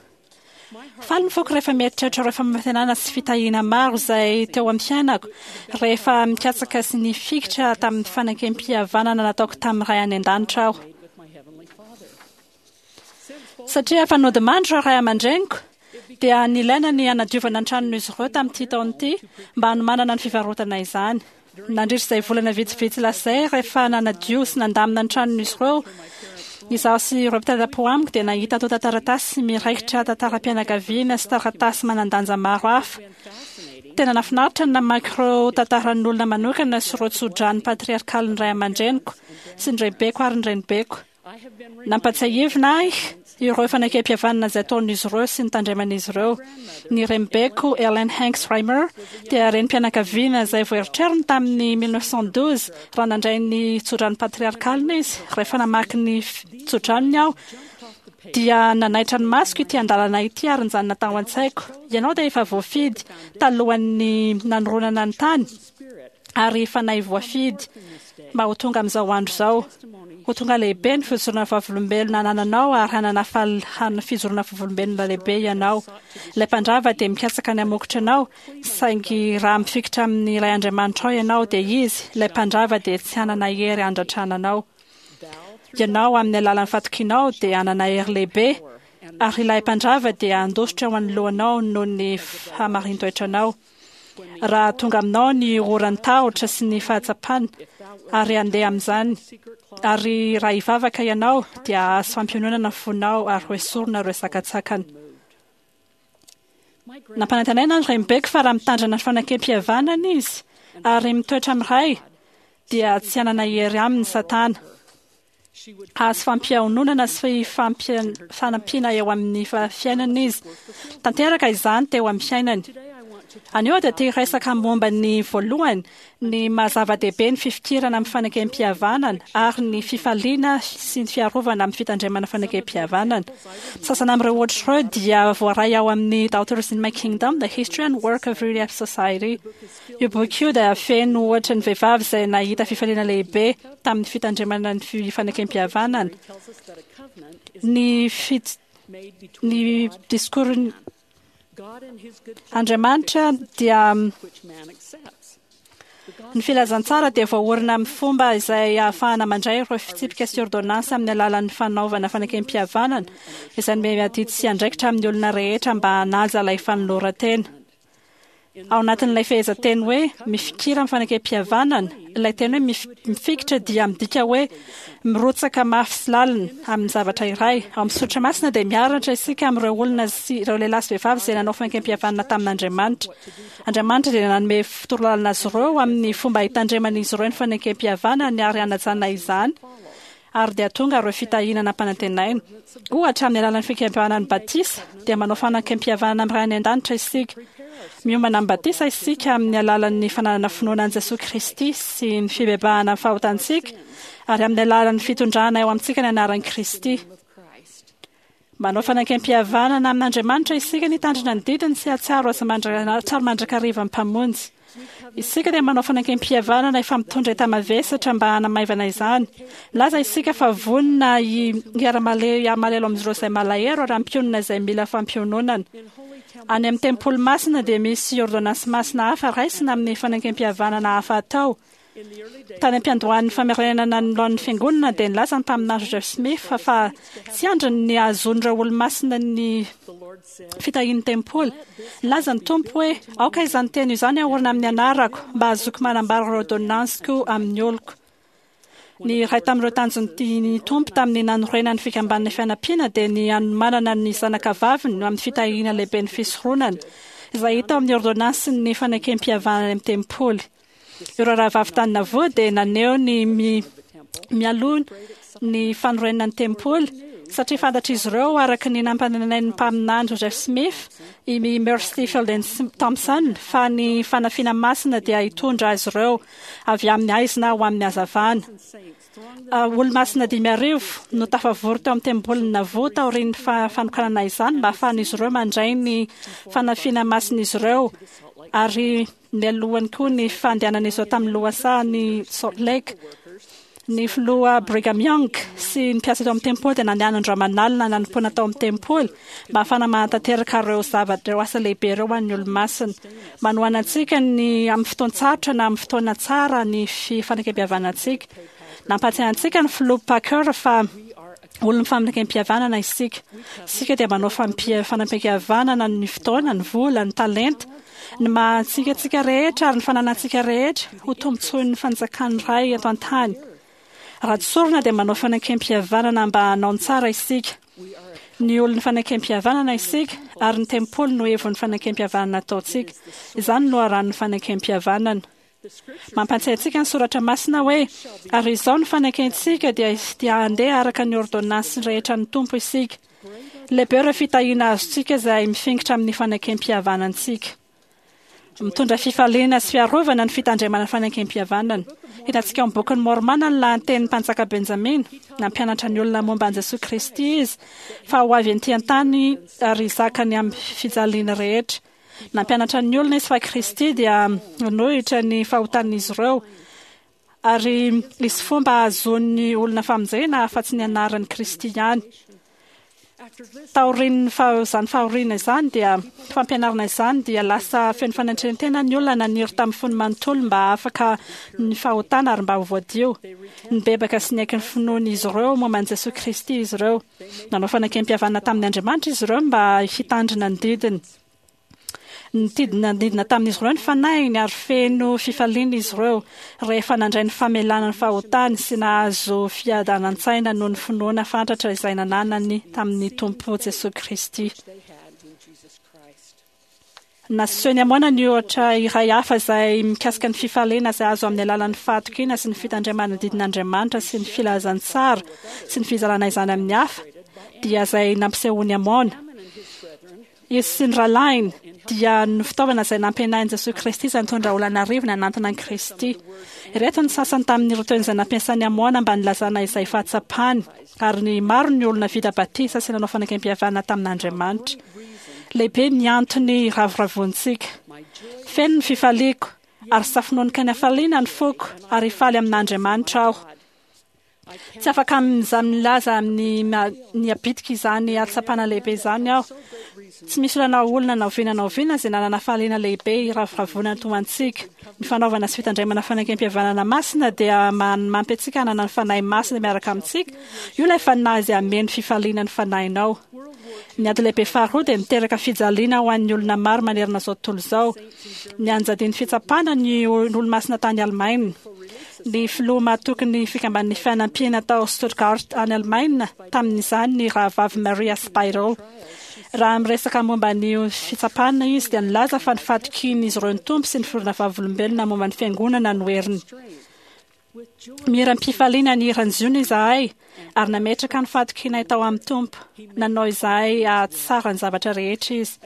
Faly ny foko rehefa mieritreritra ireo fampanantenana sy fitahiana maro izay teo amin'ny fiainako rehefa mikatsaka sy nifikitra tamin'ny fanekempihavanana nataoko tamin'ny Ray any an-danitra aho. Satria efa nodimandry ireo ray aman-dreniko dia nilaina ny hanadiovana ny tranon'izy ireo tamin'ity taona ity mba hanomanana ny fivarotana izany. Nandritra izay volana vitsivitsy lasa izay rehefa nanadio sy nandamina ny tranon'izy ireo, izaho sy ireo mpitadapo amiko dia nahita antontan-taratasy miraikitra tantaram-pianakaviana sy taratasy manan-danja maro hafa. Tena nahafinaritra ny namaky ireo tantaran'olona manokana sy ireo tsodrano patriarkalin'ny ray aman-dreniko sy ny raibeko ary ny renibeko. Nampatsiahivina ahy ireo fanekempihavanana izay ataon'izy ireo sy ny tandreman'izy ireo. Ny renibeko Ellen Hanks Reimer dia renim-pianakaviana izay voaeritreriny tamin'ny mille neuf cent douze raha nandray ny tsodrano patriarkalina izy. Rehefa namaky ny tsodranony aho dia nanaitra ny masoko ity andalana ity ary nijanona tao an-tsaiko. Ianao dia efa voafidy talohan'ny nanoronana ny tany ary fanahy voafidy mba ho tonga amin'izao andro izao. Ho tonga lehibe ny fijoroana vavolombelona anananao ary hanana fal- fijoroana vavolombelona lehibe ianao. Ilay mpandrava dia mikatsaka ny hamokotra anao, saingy raha mifikitra amin'ny Ray Andriamanitrao ianao dia izy, ilay mpandrava dia tsy hanana hery handratrana anao. Ianao amin'ny alalan'ny fatokianao dia hanana hery lehibe ary ilay mpandrava dia handositra eo anoloanao noho ny fahamarin-toetranao. Raha tonga aminao ny oran'ny tahotra sy ny fahatsapana ary handeha amin'izany, ary raha hivavaka ianao dia hahazo fampiononana ny fonao ary ho esorina ireo sakantsakana. Nampanantenaina ny renibeko fa raha mitandrina ny fanekempihavanana izy ary mitoetra amin'ny Ray, dia tsy hanana hery aminy Satana. Hahazo fampiononana sy fanampiana eo amin'ny fiainana izy. Tanteraka izany teo amin'ny fiainany. Anio dia te hiresaka momba ny voalohany, ny maha-zava-dehibe ny fifikirana amin'ny fanekempihavanana ary ny fifaliana sy ny fiarovana amin'ny fitandremana fanekempihavanana. Sasany amin'ireo ohatra ireo dia voaray ao amin'ny Daughters in My Kingdom, The History and Work of Relief Society. Io boky io dia feno ohatra ny vehivavy izay nahita fifaliana lehibe tamin'ny fitandremana ny fanekempihavanana. Ny fit, ny discours Andriamanitra dia ny filazantsara dia voaorina amin'ny fomba izay ahafahana mandray ireo fitsipika sy ordonnance amin'ny alalan'ny fanaovana fanekempihavanana izay nomena adidy sy andraikitra amin'ny olona rehetra mba hanaja ilay fanoloran-tena. Ao anatin'ilay fehezanteny hoe mifikira amin'ny fanekempihavanana, ilay teny hoe mifikitra dia midika hoe mirotsaka mafy sy lalina amin'ny zavatra iray. Ao amin'ny soratra masina dia miaratra isika amin'ireo olona sy ireo lehilahy sy vehivavy izay nanao fanekempihavanana tamin'Andriamanitra. Andriamanitra dia nanome torolalana azy ireo amin'ny fomba hitandreman'izy ireo ny fanekempihavanany ary hanajana izany, ary dia tonga ireo fitahiana nampanantenaina. Ohatra, amin'ny alalan'ny fikempihavanana ny batisa dia manao fanekempihavanana amin'ny Ray any an-danitra isika. Miomana amin'ny batisa isika amin'ny alalan'ny fananana finoana an'i Jesoa Kristy sy ny fibebahana amin'ny fahotantsika ary amin'ny alalan'ny fitondrana eo amintsika ny anaran'i Kristy. Manao fanekempihavanana amin'Andriamanitra isika ny hitandrina ny didiny sy hahatsiaro azy hahatsiaro mandrakariva ny Mpamonjy. Isika dia manao fanekempihavanana efa mitondra enta-mavesatra mba hanamaivana izany. Milaza isika fa vonona hiara-malahelo amin'ireo izay malahelo ary hampionona izay mila fampiononana. Any amin'ny tempoly masina dia misy ordonnance masina hafa raisina amin'ny fanekempihavanana hafa atao. Tany am-piandohan'ny famerenana ny laon'ny fiangonana dia nilaza ny mpaminany Joseph Smith fa tsy andriny ny hahazoan'ireo olo-masina ny fitahian'ny tempoly. Nilaza ny Tompo hoe aoka izany teny izany haorina amin'ny anarako mba hahazoako manambara ireo ordonnansiko amin'ny oloko. Ny iray tamin'ireo tanjon'ny Tompo tamin'ny nanorenany fikambanana fianampiana dia ny hanomanana ny zanaka vaviny amin'ny fitahiana lehibe ny fisoronana izay hita ao amin'ny ordonnansin'ny fanekempihavanana amin'ny tempoly. Ireo rahavavy tany Nauvoo dia naneho ny mialoha ny fanorenana ny tempoly satria fantatr'izy ireo araka ny nampanantenain'ny mpaminany Joseph Smith i Mercy Fielding Thompson fa ny fanafiana masina dia hitondra azy ireo avy amin'ny haizina ho amin'ny hazavana. Olo-masina dimy arivo no tafavory teo amin'ny tempolin'ny Nauvoo taorian'ny fanokanana izany mba hahafahan'izy ireo mandray ny fanafiana masin'izy ireo ary mialohany koa ny fandehanan'izy ireo tamin'ny lohasahan'ny Salt Lake. Ny filoha Brigham Young sy ny mpiasa teo amin'ny tempoly dia nandeha andro aman'alina nanompoana tao amin'ny tempoly mba hahafahana manatanteraka ireo zavatra ireo asa lehibe ireo ho an'ny olo-masina. Manohana antsika ny amin'ny fotoan-tsarotra na amin'ny fotoana tsara ny fifanekempihavanantsika. Nampahatsiahy antsika ny filoha Packer fa olon'ny fanekempihavanana isika. Isika dia manao fanampihavanana ny fotoana, ny vola, ny talenta, ny maha antsika antsika rehetra ary ny fananantsika rehetra ho tombontsoin'ny fanjakan'ny Ray eto an-tany. Raha tsorina dia manao fanekempihavanana mba hanao ny tsara isika. Ny olon'ny fanekempihavanana isika ary ny tempoly no hevon'ny fanekempihavanana ataontsika. Izany no loharanon'ny fanekempihavanana. Mampahatsiahy antsika ny soratra masina hoe ary izao ny fanekentsika dia dia handeha araka ny ordonnance rehetra ny Tompo isika. Lehibe ireo fitahiana azontsika izay mifikitra amin'ny fanekempihavanantsika. Mitondra fifaliana sy fiarovana ny fitandremana fanekempihavanana. Hitantsika ao amin'ny bokin'ny Mormona ny lahatenin'ny mpanjaka Benjamina. Nampianatra ny olona momba an'i Jesoa Kristy izy fa ho avy ety an-tany ary hizaka ny amin'ny fijaliana rehetra. Nampianatra ny olona izy fa Kristy dia nanohitra ny fahotan'izy ireo ary misy fomba ahazoan'ny olona famonjena afa-tsy ny anaran'i Kristy ihany. Taorian'ny izany fahoriana izany dia fampianarana izany dia lasa feno fanetren-tena ny olona naniry tamin'ny fony manontolo mba hahafaka ny fahotana ary mba ho voadio. Nibebaka sy niaiky ny finoan'izy ireo momba an'i Jesoa Kristy izy ireo. Nanao fanekempihavanana tamin'ny Andriamanitra izy ireo mba hitandrina ny didiny. Nitidina nidina tamin'izy ireo ny fanahiny ary feno fifaliana izy ireo rehefa nandray ny famelana ny fahotany sy nahazo fiadanan-tsaina noho ny finoana fatratra izay nananany tamin'ny Tompo Jesoa Kristy. Nasehon'i Amôna ny ohatra iray hafa izay mikasika ny fifaliana izay azo amin'ny alalan'ny fahatokiana sy ny fitandremana ny didin'Andriamanitra sy ny filazantsara sy ny fizarana izany amin'ny hafa, dia izay nampisehoan'i Amôna. Izy sy ny rahalahiny dia ny fitaovana izay nampianain'i Jesoa Kristy izay nitondra olona arivo nanantona an'i Kristy. Ireto ny sasany tamin'ireo teny izay nampiasain'i Amôna mba nilazana izay fahatsapany, ary ny maro ny olona vita batisa sy nanao fanekempihavanana tamin'Andriamanitra. Lehibe ny antony ravoravoantsika. Feno ny fifaliako, ary safononoka ny hafaliana ny foko, ary hifaly amin'Andriamanitra aho. Tsy afaka milaza amin'ny ny habitika izany hatsapana lehibe izany aho. Tsy misy olona na olona na oviana na oviana izay nanana fahaliana lehibe hiravoravoana toa antsika. Ny fanaovana sy fitandremana fanekempihavanana masina dia manampy antsika hanana ny Fanahy Masina miaraka amintsika. Io ilay Fanahy izay hameno fifaliana ny fanahinao. Ny ady lehibe faharoa dia niteraka fijaliana ho an'ny olona maro manerana izao tontolo izao. Nianjadian'ny fitsapana ny olo-masina tany Alemaina. Ny filoha mahatoky ny fikamban'ny fianampiana tao Stuttgart any Alemaina tamin'izany ny rahavavy Maria Spiral. Raha miresaka momba ny fitsapana izy dia nilaza fa ny fahatokian'izy ireo ny Tompo sy ny fironana vavolombelona momba ny fiangonana no heriny. Mihiram-pifaliana ny hiran'i Ziona izahay ary nametraka ny fahatokianay tao amin'ny Tompo. Nanao izahay hahatsara ny zavatra rehetra izy.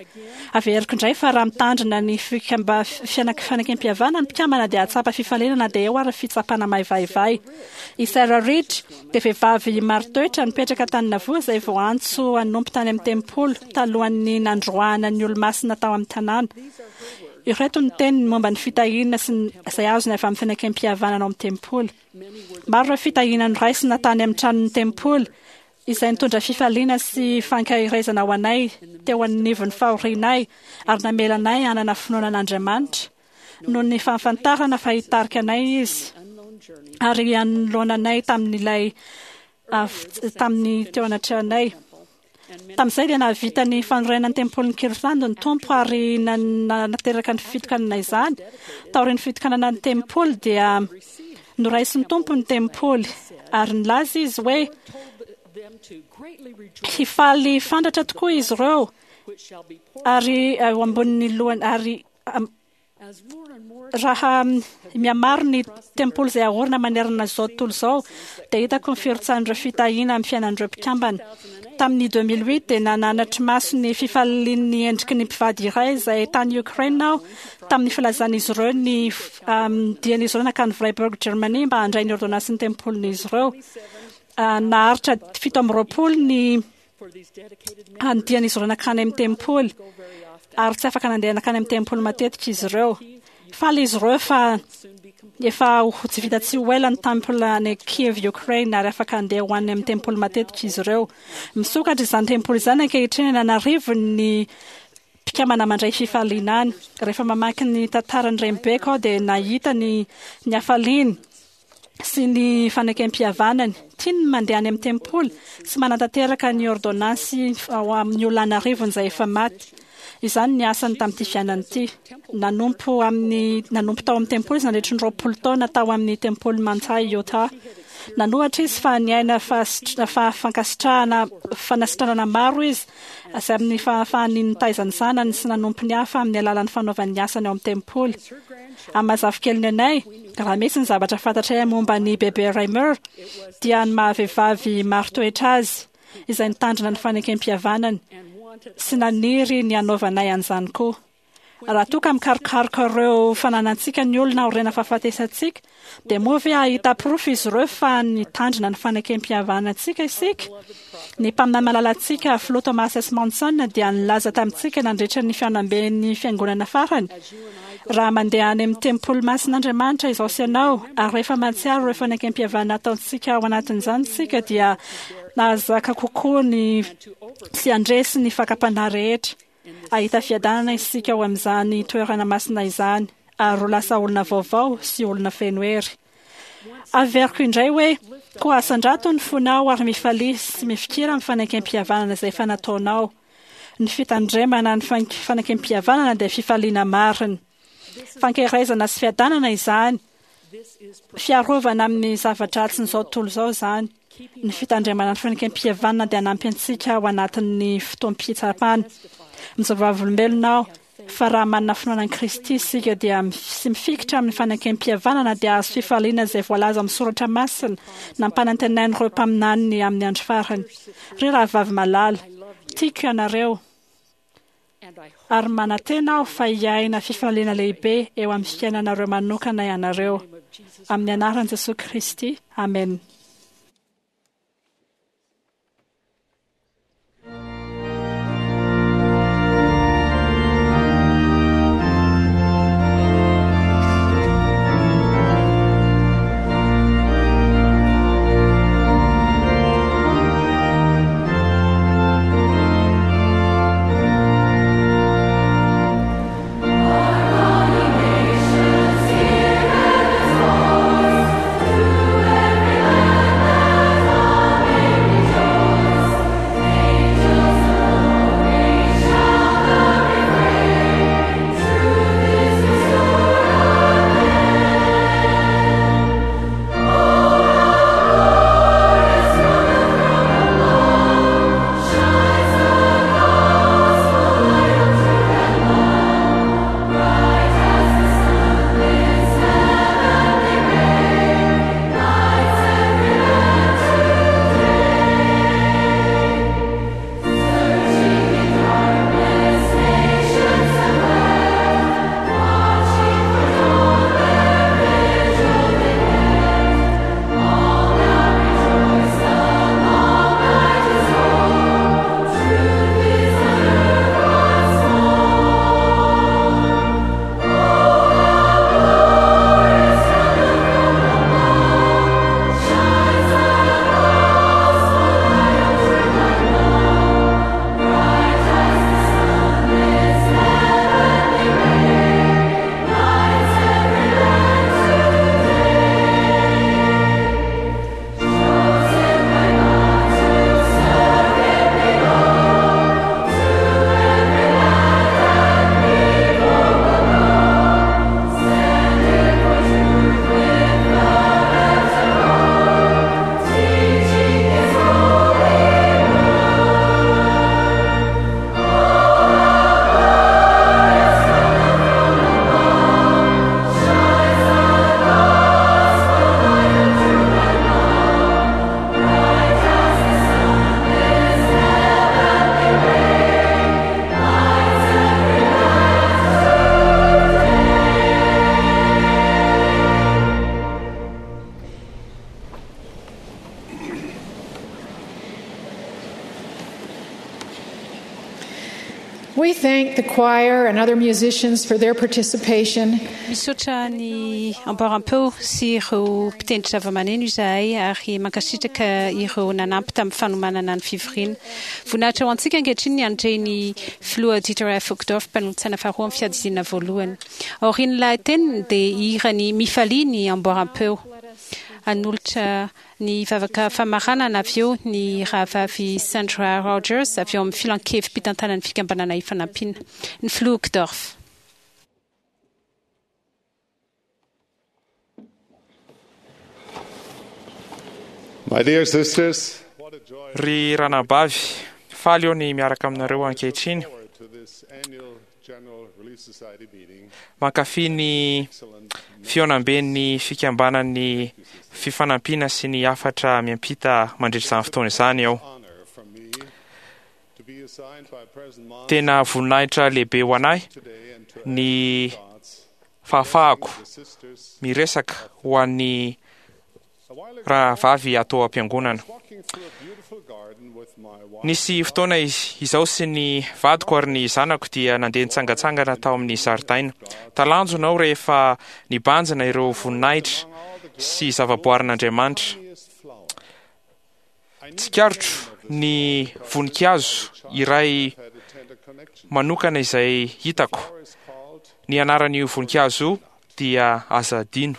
Averiko indray fa raha mitandrina ny fikamba fianak- fanekempihavanana ny mpikambana dia hahatsapa fifaliana na dia eo ary fitsapana maivaivay. I Sarah Reed dia vehivavy marin-toetra nipetraka tany Nauvoo izay voantso hanompo tany amin'ny tempoly talohan'ny nandroahana ny olo-masina tao amin'ny tanàna. Ireto ny teniny momba ny fitahiana sy ny izay azony avy amin'ny fanekempihavanana ao amin'ny tempoly. Maro ireo fitahiana noraisina tany amin'ny tranon'ny tempoly izay nitondra fifaliana sy fankaherezana ho anay teo anivon'ny fahorianay ary namela anay hanana finoana an'Andriamanitra noho ny fahafantarana fa hitarika anay izy ary hanoloana anay tamin'ilay tamin'ny teo anatrehanay. Tamin'izay dia nahavita ny fanorenana ny tempolin'ny Kirtland ny Tompo ary nanateraka ny fitokanana izany. Taorian'ny fitokanana ny tempoly dia noraisin'ny Tompo ny tempoly ary nilaza izy hoe hifaly fandratra tokoa izy ireo ary eo ambonin'ny lohany, ary raha mihamaro ny tempoly izay aorina manerana izao tontolo izao dia hitako ny firotsahan'ireo fitahiana amin'ny fiainan'ireo mpikambana. Tamin'ny deux mille huit dia nanatri maso ny fifalian'ny endriky ny mpivady iray izay tany Ukraine aho tamin'ny filazan'izy ireo ny dian'izy ireo nankany Freiburg, Germany, mba handray ny ordonnansin'ny tempolin'izy ireo. Naharitra fito amby roapolo ny dian'izy ireo nankany amin'ny tempoly ary tsy afaka nandeha nankany amin'ny tempoly matetika izy ireo. Faly izy ireo fa efa ho tsy vita tsy ho ela ny temple any Kiev, Ukraine, ary afaka handeha ho any amin'ny tempoly matetika izy ireo. Misokatra izany tempoly izany ankehitriny, an'arivo ny mpikambana mandray fifaliana any. Rehefa mamaky ny tantaran'ny renibeko aho dia nahita ny ny hafaliany sy ny fanekempihavanany. Tiany ny mandeha any amin'ny tempoly sy manatanteraka ny ordonnance ao amin'ny olona an'arivony izay efa maty. Izany ny asany tamin'ity fiainana ity. Nanompo amin'ny nanompo tao amin'ny tempoly izy nandritry ny roapolo taona tao amin'ny tempoly Manti, Utah. Nanohatra izy fa niaina fa fankasitrahana fanasitranana maro izy izay amin'ny fahafahany nitaiza ny zanany sy nanompo ny hafa amin'ny alalan'ny fanaovany ny asany ao amin'ny tempoly. Amin'ny maha-zafikeliny anay, raha misy ny zavatra fantatray momba ny bebe Reimer dia ny maha-vehivavy marin-toetra azy izay nitandrina ny fanekempihavanany sy naniry ny hanaovanay an'izany koa. Raha toa ka mikarokaroka ireo fananantsika ny olona aorian'ny fahafatesantsika, dia moa ve hahita porofo izy ireo fa nitandrina ny fanekempihavanantsika isika? Ny mpaminany malalantsika, filoha Thomas S. Monson, dia nilaza tamintsika nandritra ny fihaonamben'ny fiangonana farany: "Raha mandeha any amin'ny tempoly masin'Andriamanitra izaho sy ianao ary rehefa mahatsiaro ireo fanekempihavanana ataontsika ao anatin'izany isika, dia nahazaka kokoa ny sy handresy ny fakam-panahy rehetra. Hahita fiadanana isika ao amin'izany toerana masina izany ary ho lasa olona vaovao sy olona feno hery." Averiko indray hoe: koa asandrato ny fonao ary mifalia sy mifikira amin'ny fanekempihavanana izay efa nataonao. Ny fitandremana ny fanekempihavanana dia fifaliana marina. Fankaherezana sy fiadanana izany, fiarovana amin'ny zava-dratsin'izao tontolo izao izany. Ny fitandremana ny fanekempihavanana dia hanampy antsika ao anatin'ny fotoam-pitsapana. Mijoro vavolombelona aho Fa raha manana finoana an'i Kristy isika dia sy mifikitra amin'ny fanekem-pihavanana dia azo fifaliana izay voalaza amin'ny soratra masina nampanantenain'ireo mpaminaniny amin'ny andro farany. Ry rahavavy malala, tiako ianareo ary manantena aho fa hiaina fifaliana lehibe eo amin'ny fiainanareo manokana ianareo. Amin'ny anaran'i Jesoa Kristy, amen. We thank the choir and other musicians for their participation. Misaotra ny amboaram-peo sy ireo mpitendry zava-maneno izahay ary mankasitraka ireo nanampy tamin'ny fanomanana ny fivoriana. Voninahitra ho antsika ankehitriny ny handre ny filoha Dieter F. Uchtdorf, mpanolotsaina faharoa amin'ny fiadidiana voalohany. Aorian'ny lahateniny dia hihira ny Mifalia ny amboaram-peo. Hanolotra ny vavaka famaranana avy eo ny rahavavy Sandra Rogers avy eo amin'ny filankevi-pitantanan'ny fikambanana Ifanampiana. Ny filoha Uchtdorf. My dear sisters, what a joy Ry ranabavy, faly eo ny miaraka aminareo ankehitriny. forward to this annual General Relief Society meeting. Mankafy ny fihaonamben'ny fikambanan'ny fifanampiana sy ny hafatra miampita mandritra izany fotoana izany aho. Honor for me to be assigned by President Monson Tena voninahitra lehibe ho anahy today and to ny thoughts fahafahako the sisters. miresaka ho an'ny A while ago, rahavavy atao am-piangonana. walking through a beautiful garden with my wife, Nisy fotoana izy izaho sy ny vadiko ary ny zanako dia nandeha nitsangantsangana tao amin'ny zaridaina. Talanjona aho rehefa nibanjina ireo voninahitra sy zavaboarin'Andriamanitra. funniest flower. I knew Tsikaritro ny voninkazo iray had a tender connection. manokana izay hitako. Flower is called Ny anaran'io voninkazo io dia aza adino.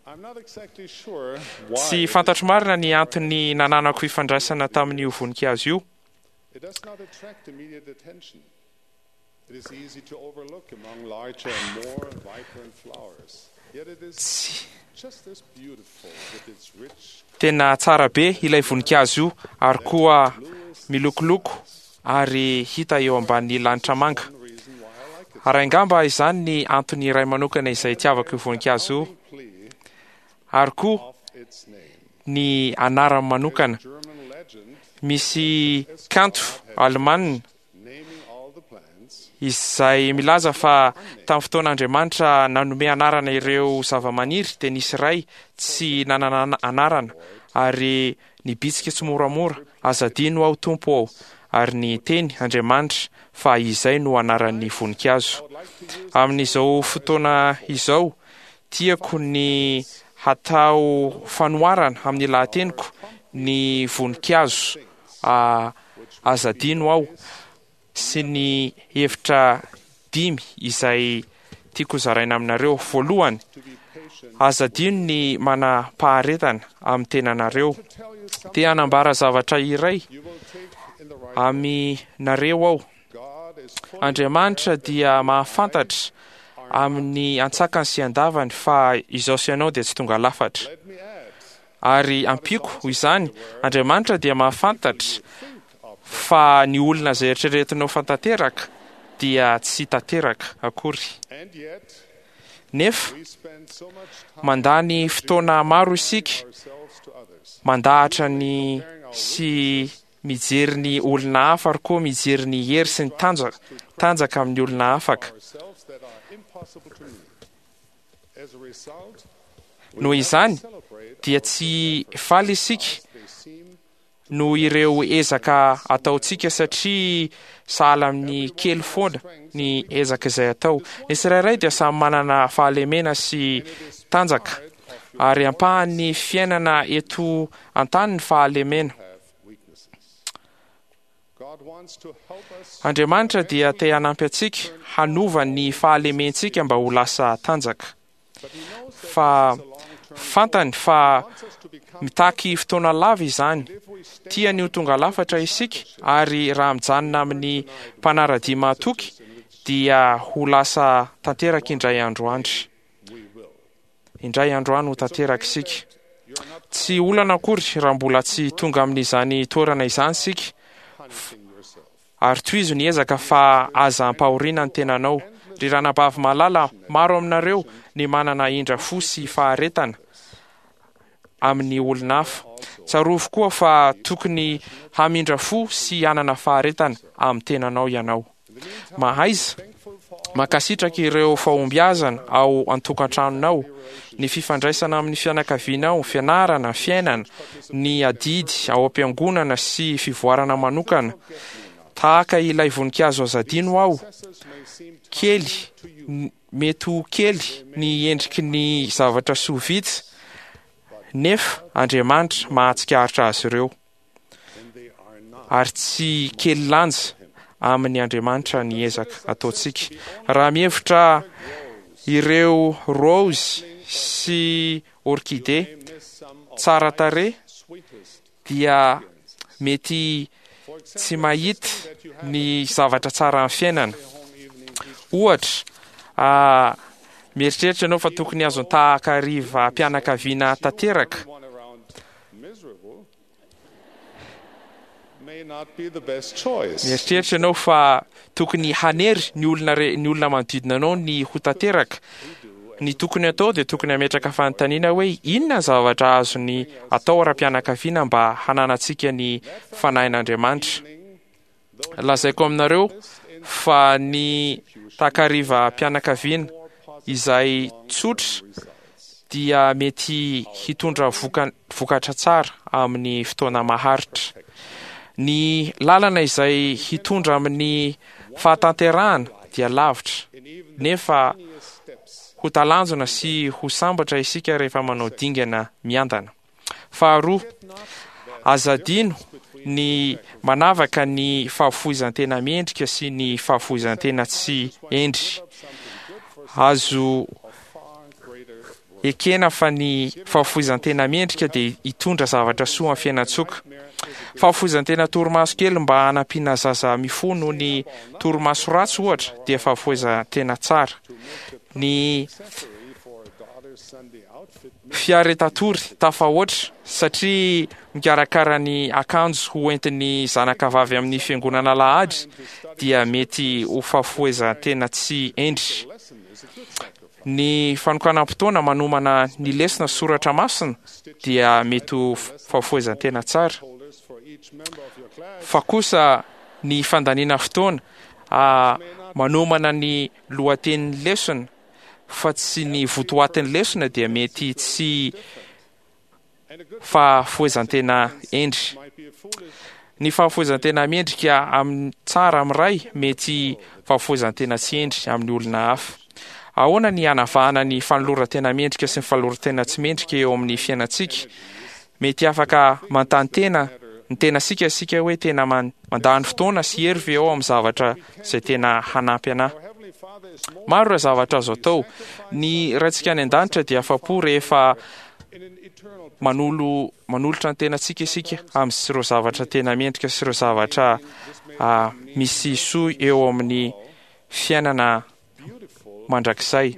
I'm not exactly sure why Tsy fantatro marina ny antony nananako fifandraisana tamin'io voninkazo io. it does not attract immediate attention. It is easy to overlook among larger and more vibrant flowers. Yet it is Tsy just as beautiful with its rich tena tsara be ilay voninkazo io ary koa milokoloko ary hita eo ambanin'ny lanitra manga. Ary angamba izany ny antony iray manokana izay itiavako io voninkazo io, ary koa ny anarany manokana. Misy kanto alemanina izay milaza fa tamin'ny fotoan'Andriamanitra nanome anarana ireo zava-maniry dia nisy iray tsy nanana anarana ary nibitsika tsy moramora: "Aza adino aho, Tompo ô", ary ny teny Andriamanitra fa izay no anaran'ny voninkazo. Amin'izao fotoana izao, tiako ny hatao fanoharana amin'ny lahateniko ny voninkazo aza adino aho sy ny hevitra dimy izay tiako zaraina aminareo. Voalohany, aza adino ny manam-paharetana amin'ny tenanareo. Te hanambara zavatra iray aminareo aho. Andriamanitra dia mahafantatra amin'ny antsakany sy andavany fa izao sy ianao dia tsy tonga lafatra. Ary ampiako izany, Andriamanitra dia mahafantatra fa ny olona izay eritreretinao fa tanteraka dia tsy tanteraka akory. Nefa mandany fotoana maro isika mandahatra ny sy mijery ny olona hafa, ary koa mijery ny hery sy ny tanjaka, tanjaka amin'ny olona afaka. Noho izany dia tsy faly isika noho ireo ezaka ataontsika, satria sahala amin'ny kely foana ny ezaka izay atao. Ny tsirairay dia samy manana fahalemena sy tanjaka, ary ampahan'ny fiainana eto an-tany ny fahalemena. Andriamanitra dia te hanampy antsika hanova ny fahalementsika mba ho lasa tanjaka. Fa fantany fa mitaky fotoana lava izany. Tiany ho tonga lafatra isika, ary raha mijanona amin'ny mpanara-dia mahatoky dia ho lasa tanteraka indray andro andry. Indray andro any ho tanteraka isika. Tsy olana akory raha mbola tsy tonga amin'izany toerana izany isika, ary tohizo ny ezaka fa aza ampahoriana ny tenanao. Ry ranabavy malala, maro aminareo ny manana indra fo sy faharetana amin'ny olona hafa. Tsarovy koa fa tokony hamindra fo sy hanana faharetana amin'ny tenanao ianao. Mahaiza mankasitraka ireo fahombiazana ao an-tokantranonao, ny fifandraisana amin'ny fianakavianao, fianarana, fiainana, ny adidy ao am-piangonana sy fivoarana manokana. Tahaka ilay voninkazo aza adino aho, kely, mety ho kely ny endriky ny zavatra soa vita, nefa Andriamanitra mahatsikaritra azy ireo. Ary tsy kely lanja amin'ny Andriamanitra ny ezaka ataontsika. Raha mihevitra ireo rose sy orchidée tsara tarehy dia mety tsy mahita ny zavatra tsara amin'ny fiainana. Ohatra, ah, mieritreritra ianao fa tokony azon-tahaka hariva mpianakaviana tanteraka. Mieritreritra ianao fa tokony hanery ny olona re, ny olona manodidina anao ny ho tanteraka. Ny tokony atao dia tokony hametraka fanontaniana hoe inona ny zavatra azony atao ara-pianakaviana mba hananantsika ny fanahin'Andriamanitra. Lazaiko aminareo fa ny takariva mpianakaviana izay tsotra dia mety hitondra voka, vokatra tsara amin'ny fotoana maharitra. Ny lalana izay hitondra amin'ny fahatanterahana dia lavitra, nefa ho talanjona sy ho sambatra isika rehefa manao dingana miandana. Faharoa, aza adino ny manavaka ny fahafoizan-tena mendrika sy ny fahafoizan-tena tsy endry. Azo ekena fa ny fahafoizan-tena mendrika dia hitondra zavatra soa amin'ny fiainan-tsoka. Fahafoizan-tena torimaso kely mba hanampiana zaza mifoha noho ny torimaso ratsy ohatra dia fahafoizan-tena tsara. Ny fiaretatory tafahoatra satria mikarakara ny akanjo ho entin'ny zanakavavy amin'ny fiangonana alahady dia mety ho fahafoezan-tena tsy endry. Ny fanokanam-potoana manomana ny lesona soratra masina dia mety ho fahafoezan-tena tsara. Fa kosa ny fandaniana fotoana manomana ny lohatenin'ny lesona fa tsy ny votoatin'ny lesona dia mety tsy fahafoezan-tena endry. Ny fahafoezan-tena mendrika amin'ny tsara amin'ny ray mety fahafoezan-tena tsy endry amin'ny olona hafa. Ahoana ny hanavahana ny fanoloran-tena mendrika sy ny fanoloran-tena tsy mendrika eo amin'ny fiainantsika? Mety afaka manontany tena ny tenasika isika hoe tena mandany fotoana sy hery ve ao amin'ny zavatra izay tena hanampy anahy. Maro ireo zavatra azo atao. Ny Raintsika any an-danitra dia afa-po rehefa manolo manolotra ny tenantsika isika amin'ireo zavatra tena mendrika sy ireo zavatra misy soa eo amin'ny fiainana mandrakizay.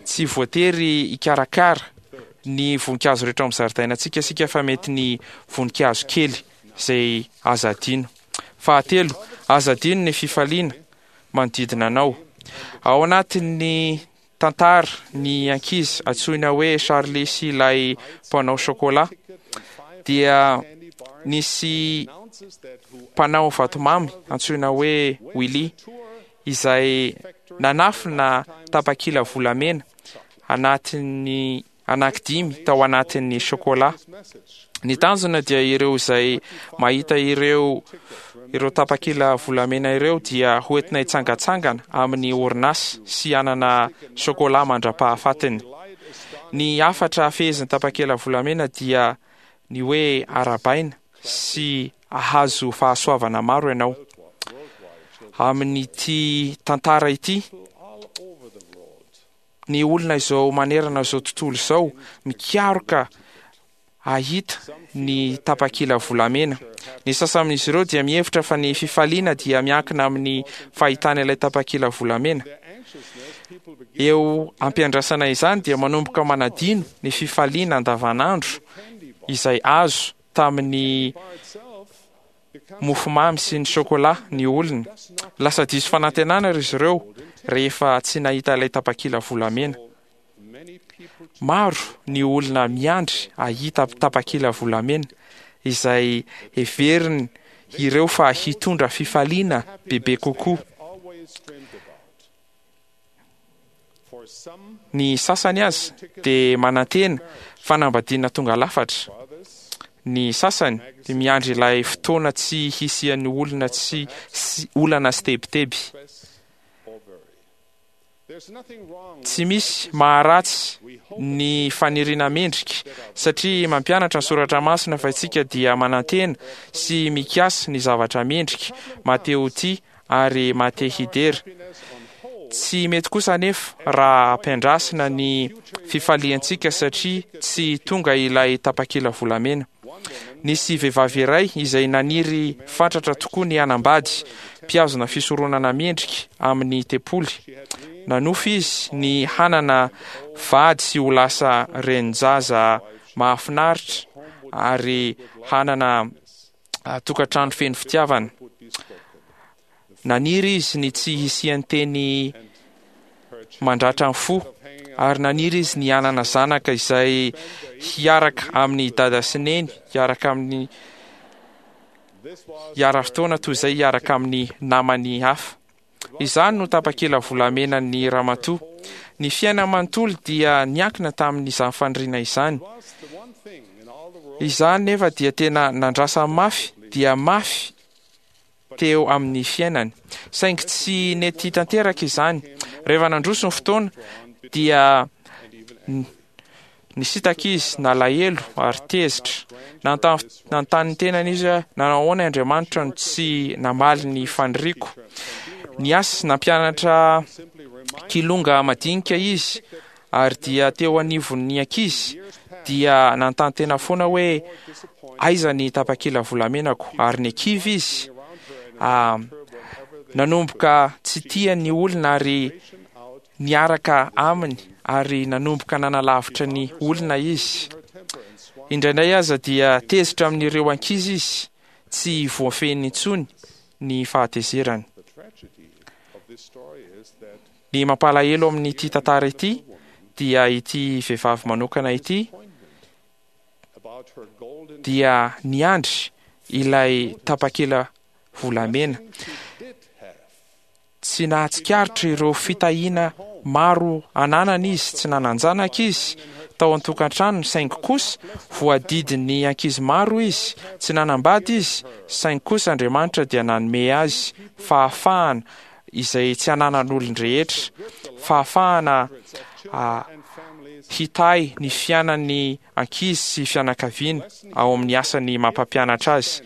Tsy voatery hikarakara ny voninkazo rehetra ao amin'ny zaridainantsika isika fa mety ny voninkazo kely izay aza adino. Fahatelo, aza adino ny fifaliana manodidina anao. Ao anatin'ny tantara ny ankizy antsoina hoe Charlie sy ilay mpanao chocolat dia nisy mpanao vatomamy antsoina hoe Willy izay nanafina tapakila volamena anatin'ny anankidimy tao anatin'ny chocolat. Ny tanjona dia ireo izay mahita ireo ireo tapakila volamena ireo dia hoentina hitsangatsangana amin'ny orinasa sy hanana chocolat mandra-pahafatiny. Ny hafatra fehezin'ny tapakila volamena dia ny hoe arabaina sy ahazo fahasoavana maro ianao. Amin'ity tantara ity, ny olona izao manerana izao tontolo izao mikaroka ahita ny tapakila volamena. Ny sasany amin'izy ireo dia mihevitra fa ny fifaliana dia miankina amin'ny fahitana ilay tapakila volamena. Eo ampiandrasana izany dia manomboka manadino ny fifaliana andavanandro izay azo tamin'ny mofomamy sy ny chocolat ny olona. Lasa diso fanantenana izy ireo rehefa tsy nahita ilay tapakila volamena. Maro ny olona miandry ahita tapakila volamena izay heveriny ireo fa hitondra fifaliana bebe kokoa. Ny sasany azy dia manantena fanambadiana tonga lafatra. Ny sasany dia miandry ilay fotoana tsy hisian'ny olona tsy olana sy tebiteby. Tsy misy maharatsy ny faniriana mendrika satria mampianatra ny soratra masina fa isika dia manantena sy mikasa ny zavatra mendrika, Mateoty ary Matehidera. Tsy mety kosa anefa raha ampiandrasina ny fifaliantsika satria tsy tonga ilay tapakila volamena. Nisy vehivavy iray izay naniry fatratra tokoa ny hanambady mpihazona fisoronana mendrika amin'ny tempoly. Nanofy izy ny hanana vady sy ho lasa renin-jaza mahafinaritra ary hanana tokantrano feno fitiavana. Naniry izy ny tsy hisian'ny teny mandratra ny fo ary naniry izy ny hanana zanaka izay hiaraka amin'ny dada sy neny, hiaraka amin'ny hiara-fotoana toy izay hiaraka amin'ny namany hafa. Izany no tapakila volamenan'ny ramatoa. Ny fiaina manontolo dia niankina tamin'izany faniriana izany. Izany nefa dia tena nandrasa mafy dia mafy teo amin'ny fiainany. Saingy tsy nety tanteraka izany. Rehefa nandroso ny fotoana dia nisitaka izy, nalahelo ary tezitra. Nanontany ny tenany izy hoe nanao ahoana Andriamanitra no tsy namaly ny faniriako. Niasa nampianatra kilonga madinika izy ary dia teo anivon'ny ankizy dia nanontany tena foana hoe aiza ny tapakila volamenako, ary nikivy izy Nanomboka tsy tia ny olona ary niaraka aminy, ary nanomboka nanalavitra ny olona izy. Indraindray aza dia tezitra amin'ireo ankizy izy, tsy voafehiny intsony ny fahatezerany. Ny mampalahelo amin'ity tantara ity dia ity vehivavy manokana ity dia niandry ilay tapakila volamena. Tsy nahatsikaritra ireo fitahiana maro ananany izy, tsy nanan-janaka izy tao an-tokantranony, saingy kosa voadidin'ny ankizy maro izy, tsy nanambady izy, saingy kosa Andriamanitra dia nanome azy fahafahana izay tsy ananan'olon-drehetra, fahafahana hitahy ny fiainan'ny ankizy sy fianakaviana ao amin'ny asany mampampianatra azy.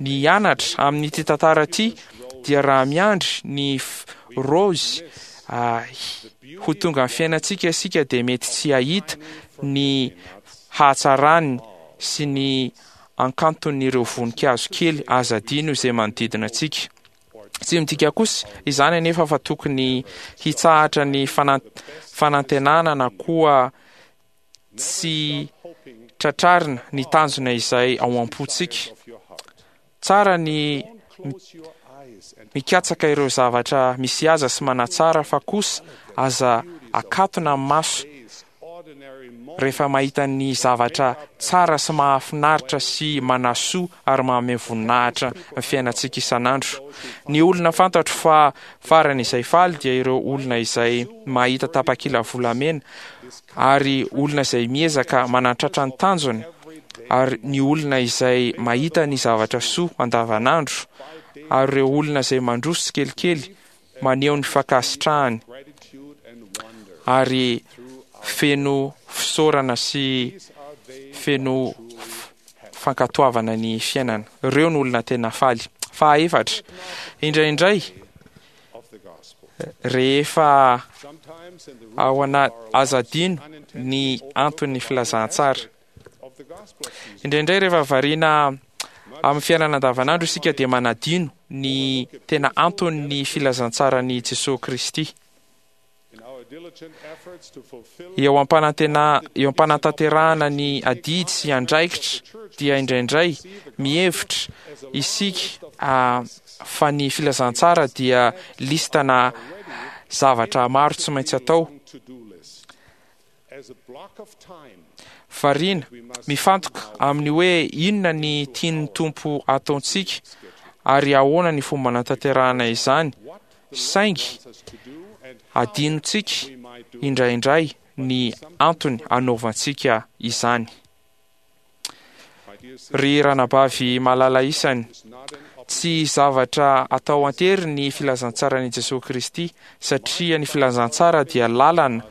Ny hianatra amin'ity tantara ity dia raha miandry ny rose ho tonga amin'ny fiainantsika isika dia mety tsy hahita ny hahatsarany sy ny ankanton'ireo voninkazo kely aza adino izay manodidina antsika. Tsy midika kosa izany anefa fa tokony hitsahatra ny fanantenana na koa tsy tratrarina ny tanjona izay ao am-pontsika. Tsara ny mikatsaka ireo zavatra misy aza sy manatsara, fa kosa aza akatona amin'ny maso rehefa mahita ny zavatra tsara sy mahafinaritra sy manasoa ary manome voninahitra ny fiainantsika isan'andro. Ny olona fantatro fa farany izay faly dia ireo olona izay mahita tapakila volamena, ary olona izay miezaka manatratra ny tanjony, ary ny olona izay mahita ny zavatra soa andavanandro, ary ireo olona izay mandroso tsikelikely maneho ny fankasitrahany ary feno fisaorana sy feno fankatoavana ny fiainana. Ireo no olona tena faly. Fahaefatra, indraindray rehefa ao ana aza adino ny anton'ny filazantsara. Indraindray rehefa variana amin'ny fiainana andavanandro isika dia manadino ny tena anton'ny filazantsaran'i Jesoa Kristy. Eo am-panantena eo am-panatanterahana ny adidy sy andraikitra dia indraindray mihevitra isika fa ny filazantsara dia listana zavatra maro tsy maintsy atao. Variana mifantoka amin'ny hoe inona ny tian'ny Tompo ataontsika ary ahoana ny fomba anatanterahana izany, saingy adinontsika indraindray ny antony anaovantsika izany. Ry ranabavy malala isany, tsy zavatra atao an-tery ny filazantsaran'i Jesoa Kristy, satria ny filazantsara dia lalana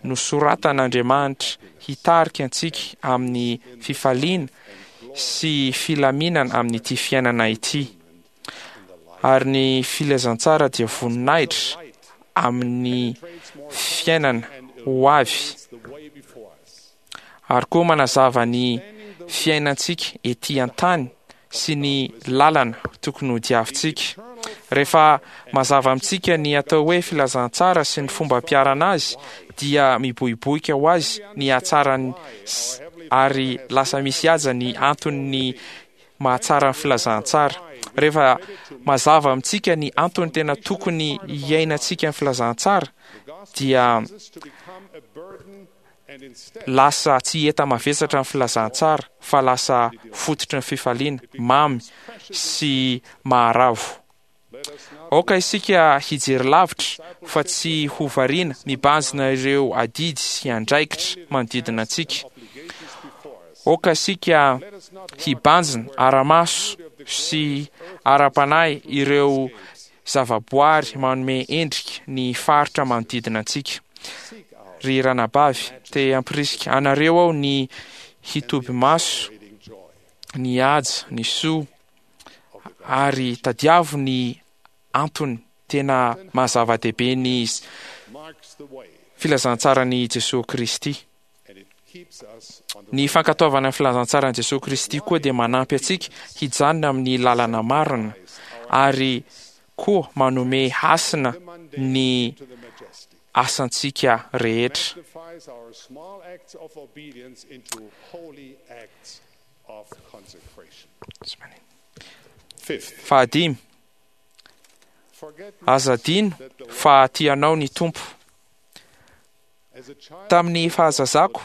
nosoratan'Andriamanitra hitarika antsika amin'ny fifaliana sy filaminana amin'ity fiainana ity. Ary ny filazantsara dia voninahitra amin'ny fiainana ho avy, ary koa manazava ny fiainantsika ety an-tany sy ny lalana tokony hodiavintsika. Rehefa mazava amintsika ny atao hoe filazantsara sy ny fomba ampiharana azy, dia miboiboika ho azy ny hatsarany ary lasa misy haja ny anton'ny mahatsara ny filazantsara. Rehefa mazava amintsika ny antony tena tokony hiainantsika ny filazantsara, dia lasa tsy heta mavesatra ny filazantsara fa lasa fototry ny fifaliana mamy sy maharavo. Aoka isika hijery lavitra fa tsy ho variana mibanjina ireo adidy sy andraikitra manodidina antsika. Aoka isika hibanjina ara-maso sy ara-panahy ireo zavaboary manome endrika ny faritra manodidina antsika. Ry ranabavy, te hampirisika anareo aho ny hitoby maso, ny haja, ny soa, ary tadiavo ny antony tena mahazava-dehibe ny filazantsaran'i Jesoa Kristy. Ny fankatoavana ny filazantsaran'i Jesoa Kristy koa dia manampy antsika hijanona amin'ny lalana marina ary koa manome hasina ny asantsika rehetra. Fahadimy, aza adino fa tianao ny Tompo. Tamin'ny fahazazako,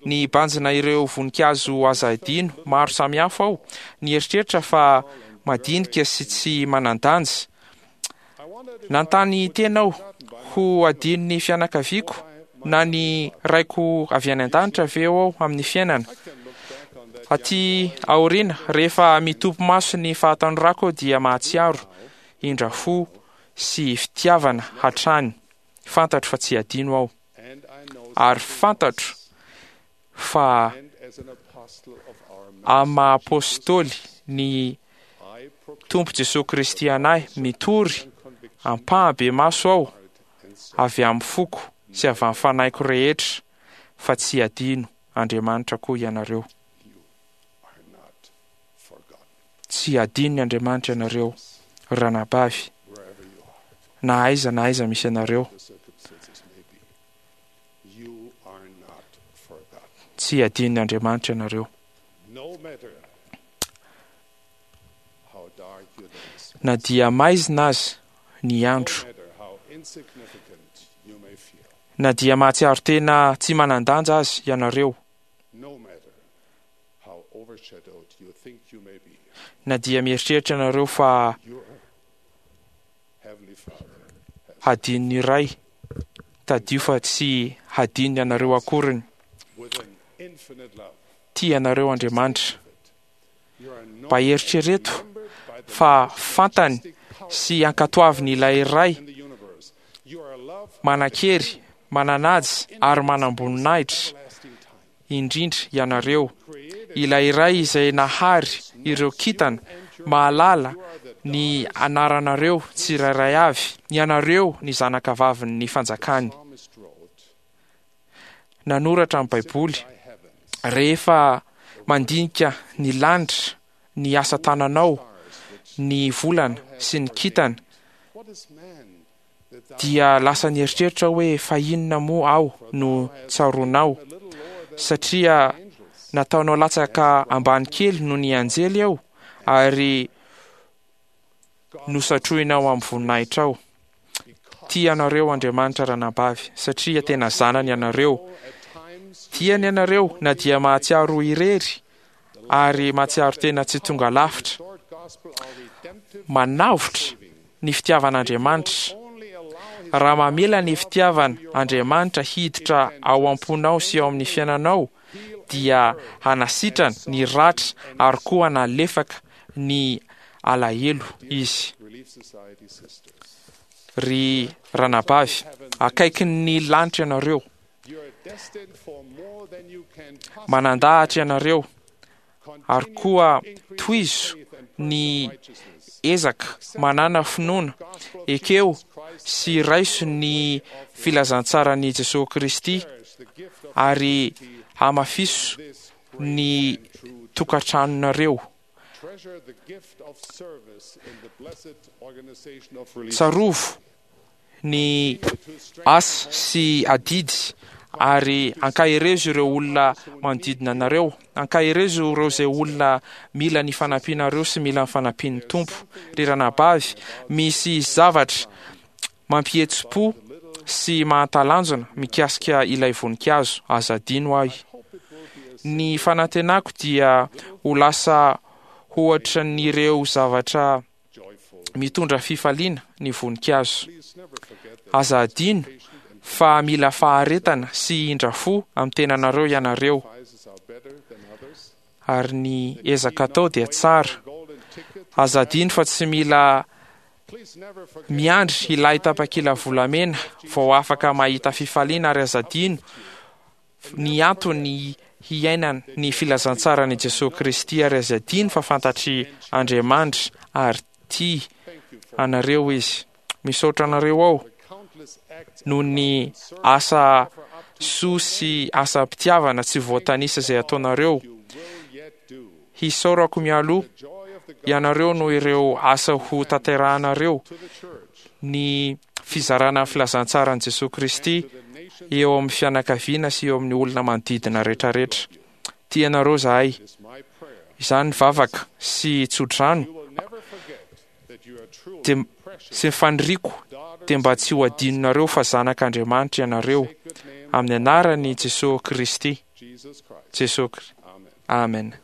ny banjina ireo voninkazo aza adino maro samihafa aho, nieritreritra fa madinika sy tsy manan-danja. Nanontany tena aho ho adinon'ny fianakaviako na ny raiko avy any an-danitra ve aho amin'ny fiainana. Aty aoriana, rehefa mitopy maso ny fahatanorako aho dia mahatsiaro indra fo sy fitiavana hatrany. Fantatro fa tsy adino aho, ary fantatro fa amin'ny maha apôstôly ny Tompo Jesoa Kristy anahy, mitory ampahabemaso aho avy amin'ny foko sy avy amin'ny fanahiko rehetra fa tsy adino Andriamanitra koa ianareo. Tsy adinony Andriamanitra ianareo, ranabavy, na aiza na aiza misy anareo. Tsy adinony Andriamanitra ianareo. Na dia maizina aza ny andro, na dia mahatsiaro tena tsy manan-danja aza ianareo, na dia mieritreritra ianareo fa hadinony iray, tadio fa tsy hadinony ianareo akoriny. Tia anareo Andriamanitra. Mba eritrereto fa fantany sy ankatoaviny ilay Ray manan-kery, mananaja ary manam-boninahitra indrindra ianareo, ilay Ray izay nahary ireo kintana, mahalala ny anaranareo tsirairay avy, ianareo ny zanakavavin'ny fanjakany. Nanoratra ny Baiboly, rehefa mandinika ny lanitra, ny asa tananao, ny volana sy ny kintana, dia lasa nieritreritra hoe fa inona moa aho no tsaroanao, satria nataonao latsaka ambany kely noho ny anjely aho ary nosatroinao amin'ny voninahitrao. Tia anareo Andriamanitra, ranabavy, satria tena zanany ianareo. Tiany ianareo na dia mahatsiaro irery ary mahatsiaro tena tsy tonga lafitra. Manavotra ny fitiavan'Andriamanitra. Raha mamela ny fitiavan' Andriamanitra hiditra ao am-ponao sy ao amin'ny fiainanao, dia hanasitrana ny ratra ary koa hanalefaka ny alahelo izy. Ry ranabavy, akaikin'ny lanitra ianareo. Manandahatra ianareo, ary koa tohizo ny ezaka manana finoana, ekeo sy raiso ny filazantsaran'i Jesoa Kristy ary hamafiso ny tokantranonareo. Tsarovo ny asa sy adidy ary ankaherezo ireo olona manodidina anareo. Ankaherezo ireo izay olona mila ny fanampianareo sy mila ny fanampian'ny Tompo. Ry ranabavy, misy zavatra mampihetsi-po sy mahatalanjona mikasika ilay voninkazo. Aza adino ahy. Ny fanantenako dia ho lasa hoatran'ireo zavatra mitondra fifaliana ny voninkazo. Aza adino fa mila faharetana sy indra fo amin'ny tenanareo ianareo, ary ny ezaka atao dia tsara. Aza adino fa tsy mila miandry ilay tapakila volamena vao afaka mahita fifaliana, ary aza adino ny antony hiainana ny filazantsaran'i Jesoa Kristy, ary aza adino fa fantatry Andriamanitra ary tia anareo izy. Misaotra anareo aho noho ny asa soa sy asam-pitiavana tsy voatanisa izay ataonareo. Hisaorako mialoha ianareo noho ireo asa ho tanterahanareo ny fizarana ny filazantsaran'i Jesosy Kristy eo amin'ny fianakaviana sy eo amin'ny olona manodidina rehetrarehetra. Tianareo izahay. Izany vavaka sy tsodrano dia sy ny faniriako dia mba tsy ho adinonareo fa zanak'Andriamanitra ianareo amin'ny anaran'i Jesosy Kristy. Jesosy. Amen.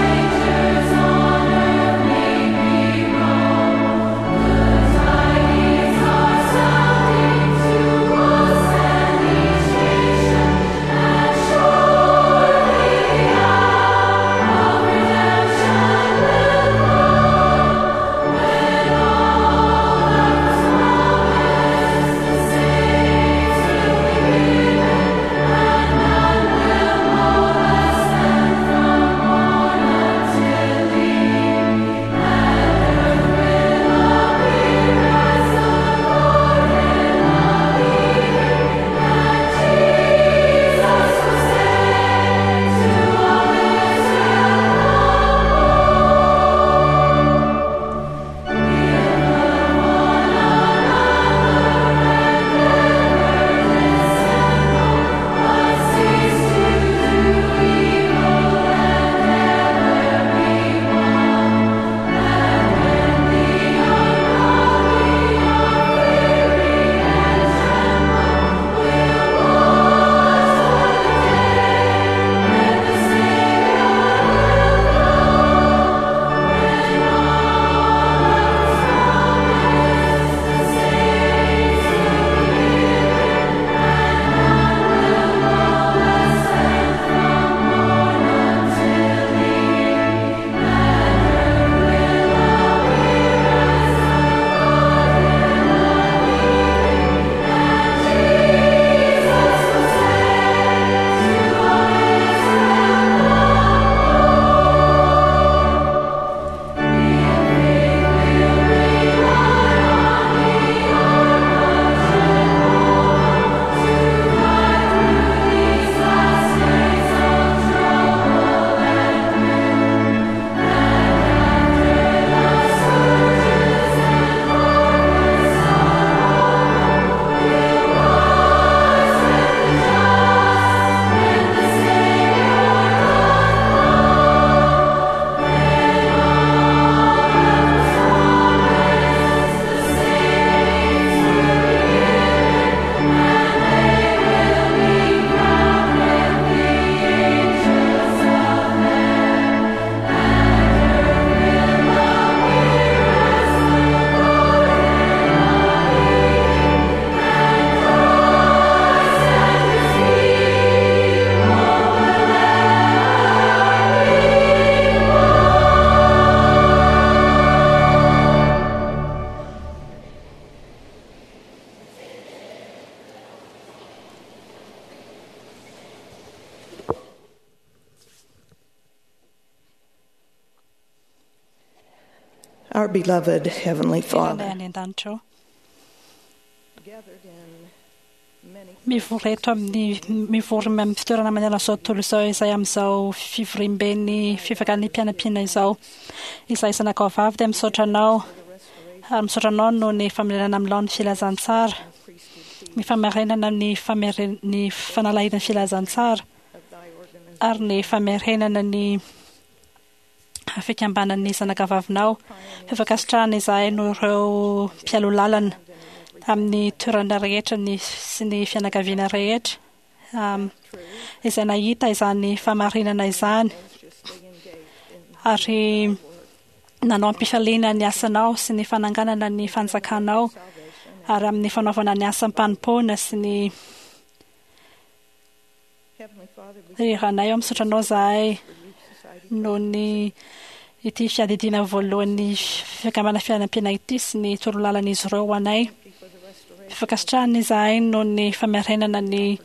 Strangers on earth may we Our beloved Heavenly Father, Any an-danitra ao. Mivory eto amin'ny mivory amin'ny fitoerana manerana izao tontolo izao izay amin'izao fivoriamben'ny fifakan'ny mpianampiana izao. Izay zanakao vavy dia misaotra anao ary misaotra anao noho ny famerenana amin'ny laon'ny filazantsara, ny famerenana ny fameren- ny fanalahidin'ny filazantsara ary ny famerenana ny fikambanan'ny zanakavavinao. Fifankasitrahana izahay noho ireo mpialoha lalana amin'ny toerana rehetra ny sy ny fianakaviana rehetra um, izay nahita izany famarinana izany ary nanao am-pifaliana ny asanao sy ny fananganana ny fanjakanao ary amin'ny fanaovana ny asam-panompoana sy ny Ry Ranay, ao misaotra anao izahay noho ny ity fiadidiana voalohan'ny fikambanana fianampiana ity sy ny torolalan'izy ireo ho anay. Fankasitrahana izahay noho ny famerenana ny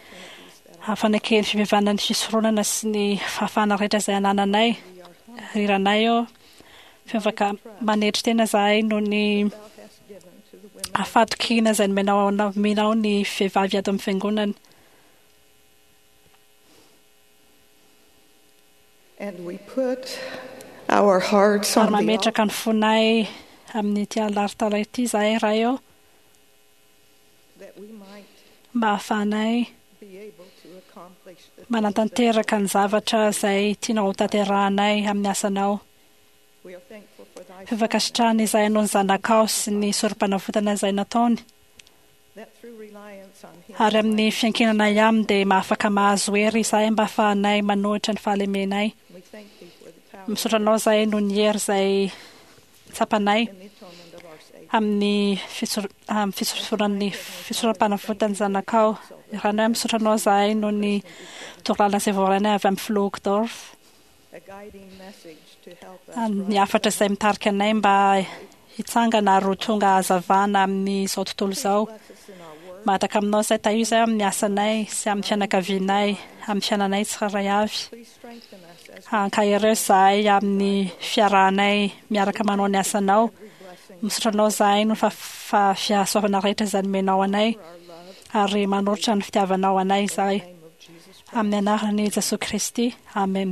fanekeny fivevanana ny fisoronana sy ny fahafahana rehetra izay anananay. Riranay eo fivavaka manetry tena izahay noho ny fahatokiana izay nomenao nomenao ny vehivavy ato amin'ny fiangonana. And we put our hearts Ary on the mametraka ny fonay amin'ity alitara ity izahay Ray eo that we might mba hahafahanay be able to accomplish the manatanteraka ny zavatra izay tianao ho tanterahanay amin'ny asanao. We are thankful for thy Fifankasitrahana izahay noho ny zanakao sy ny sorom-panavotana izay nataony. that through reliance on him Ary amin'ny fiankinana aminy dia mahafaka mahazo hery izahay mba hahafahanay manohitra ny fahalemenay. we thank thee for the power Misaotra anao izahay noho ny hery izay tsapanay and the atonement of our Savior. amin'ny fisor- amin'ny fisororan'ny fisoram-panavotan'ny zanakao. Ranay misaotra anao izahay noho ny torolalana izay voarainay avy amin'ny filoha Uchtdorf. A guiding message to help us Ny hafatra izay mitarika anay mba hitsangana ary ho tonga hazavana amin'izao tontolo izao. bless us in our work, Mahataka aminao izay tahio izay amin'ny asanay sy amin'ny fianakavianay, amin'ny fiainanay tsirairay avy. please strengthen us as Ankahereo izahay amin'ny fiarahanay miaraka manao ny asanao. every blessing Misaotra anao izahay noho ny fa- fa- fihasoavana rehetra izay nomenao anay for our love ary manolotra ny fitiavanao anay izahay. in the name of Jesus Christ. Amin'ny anaran'i Jesoa Kristy. Amen.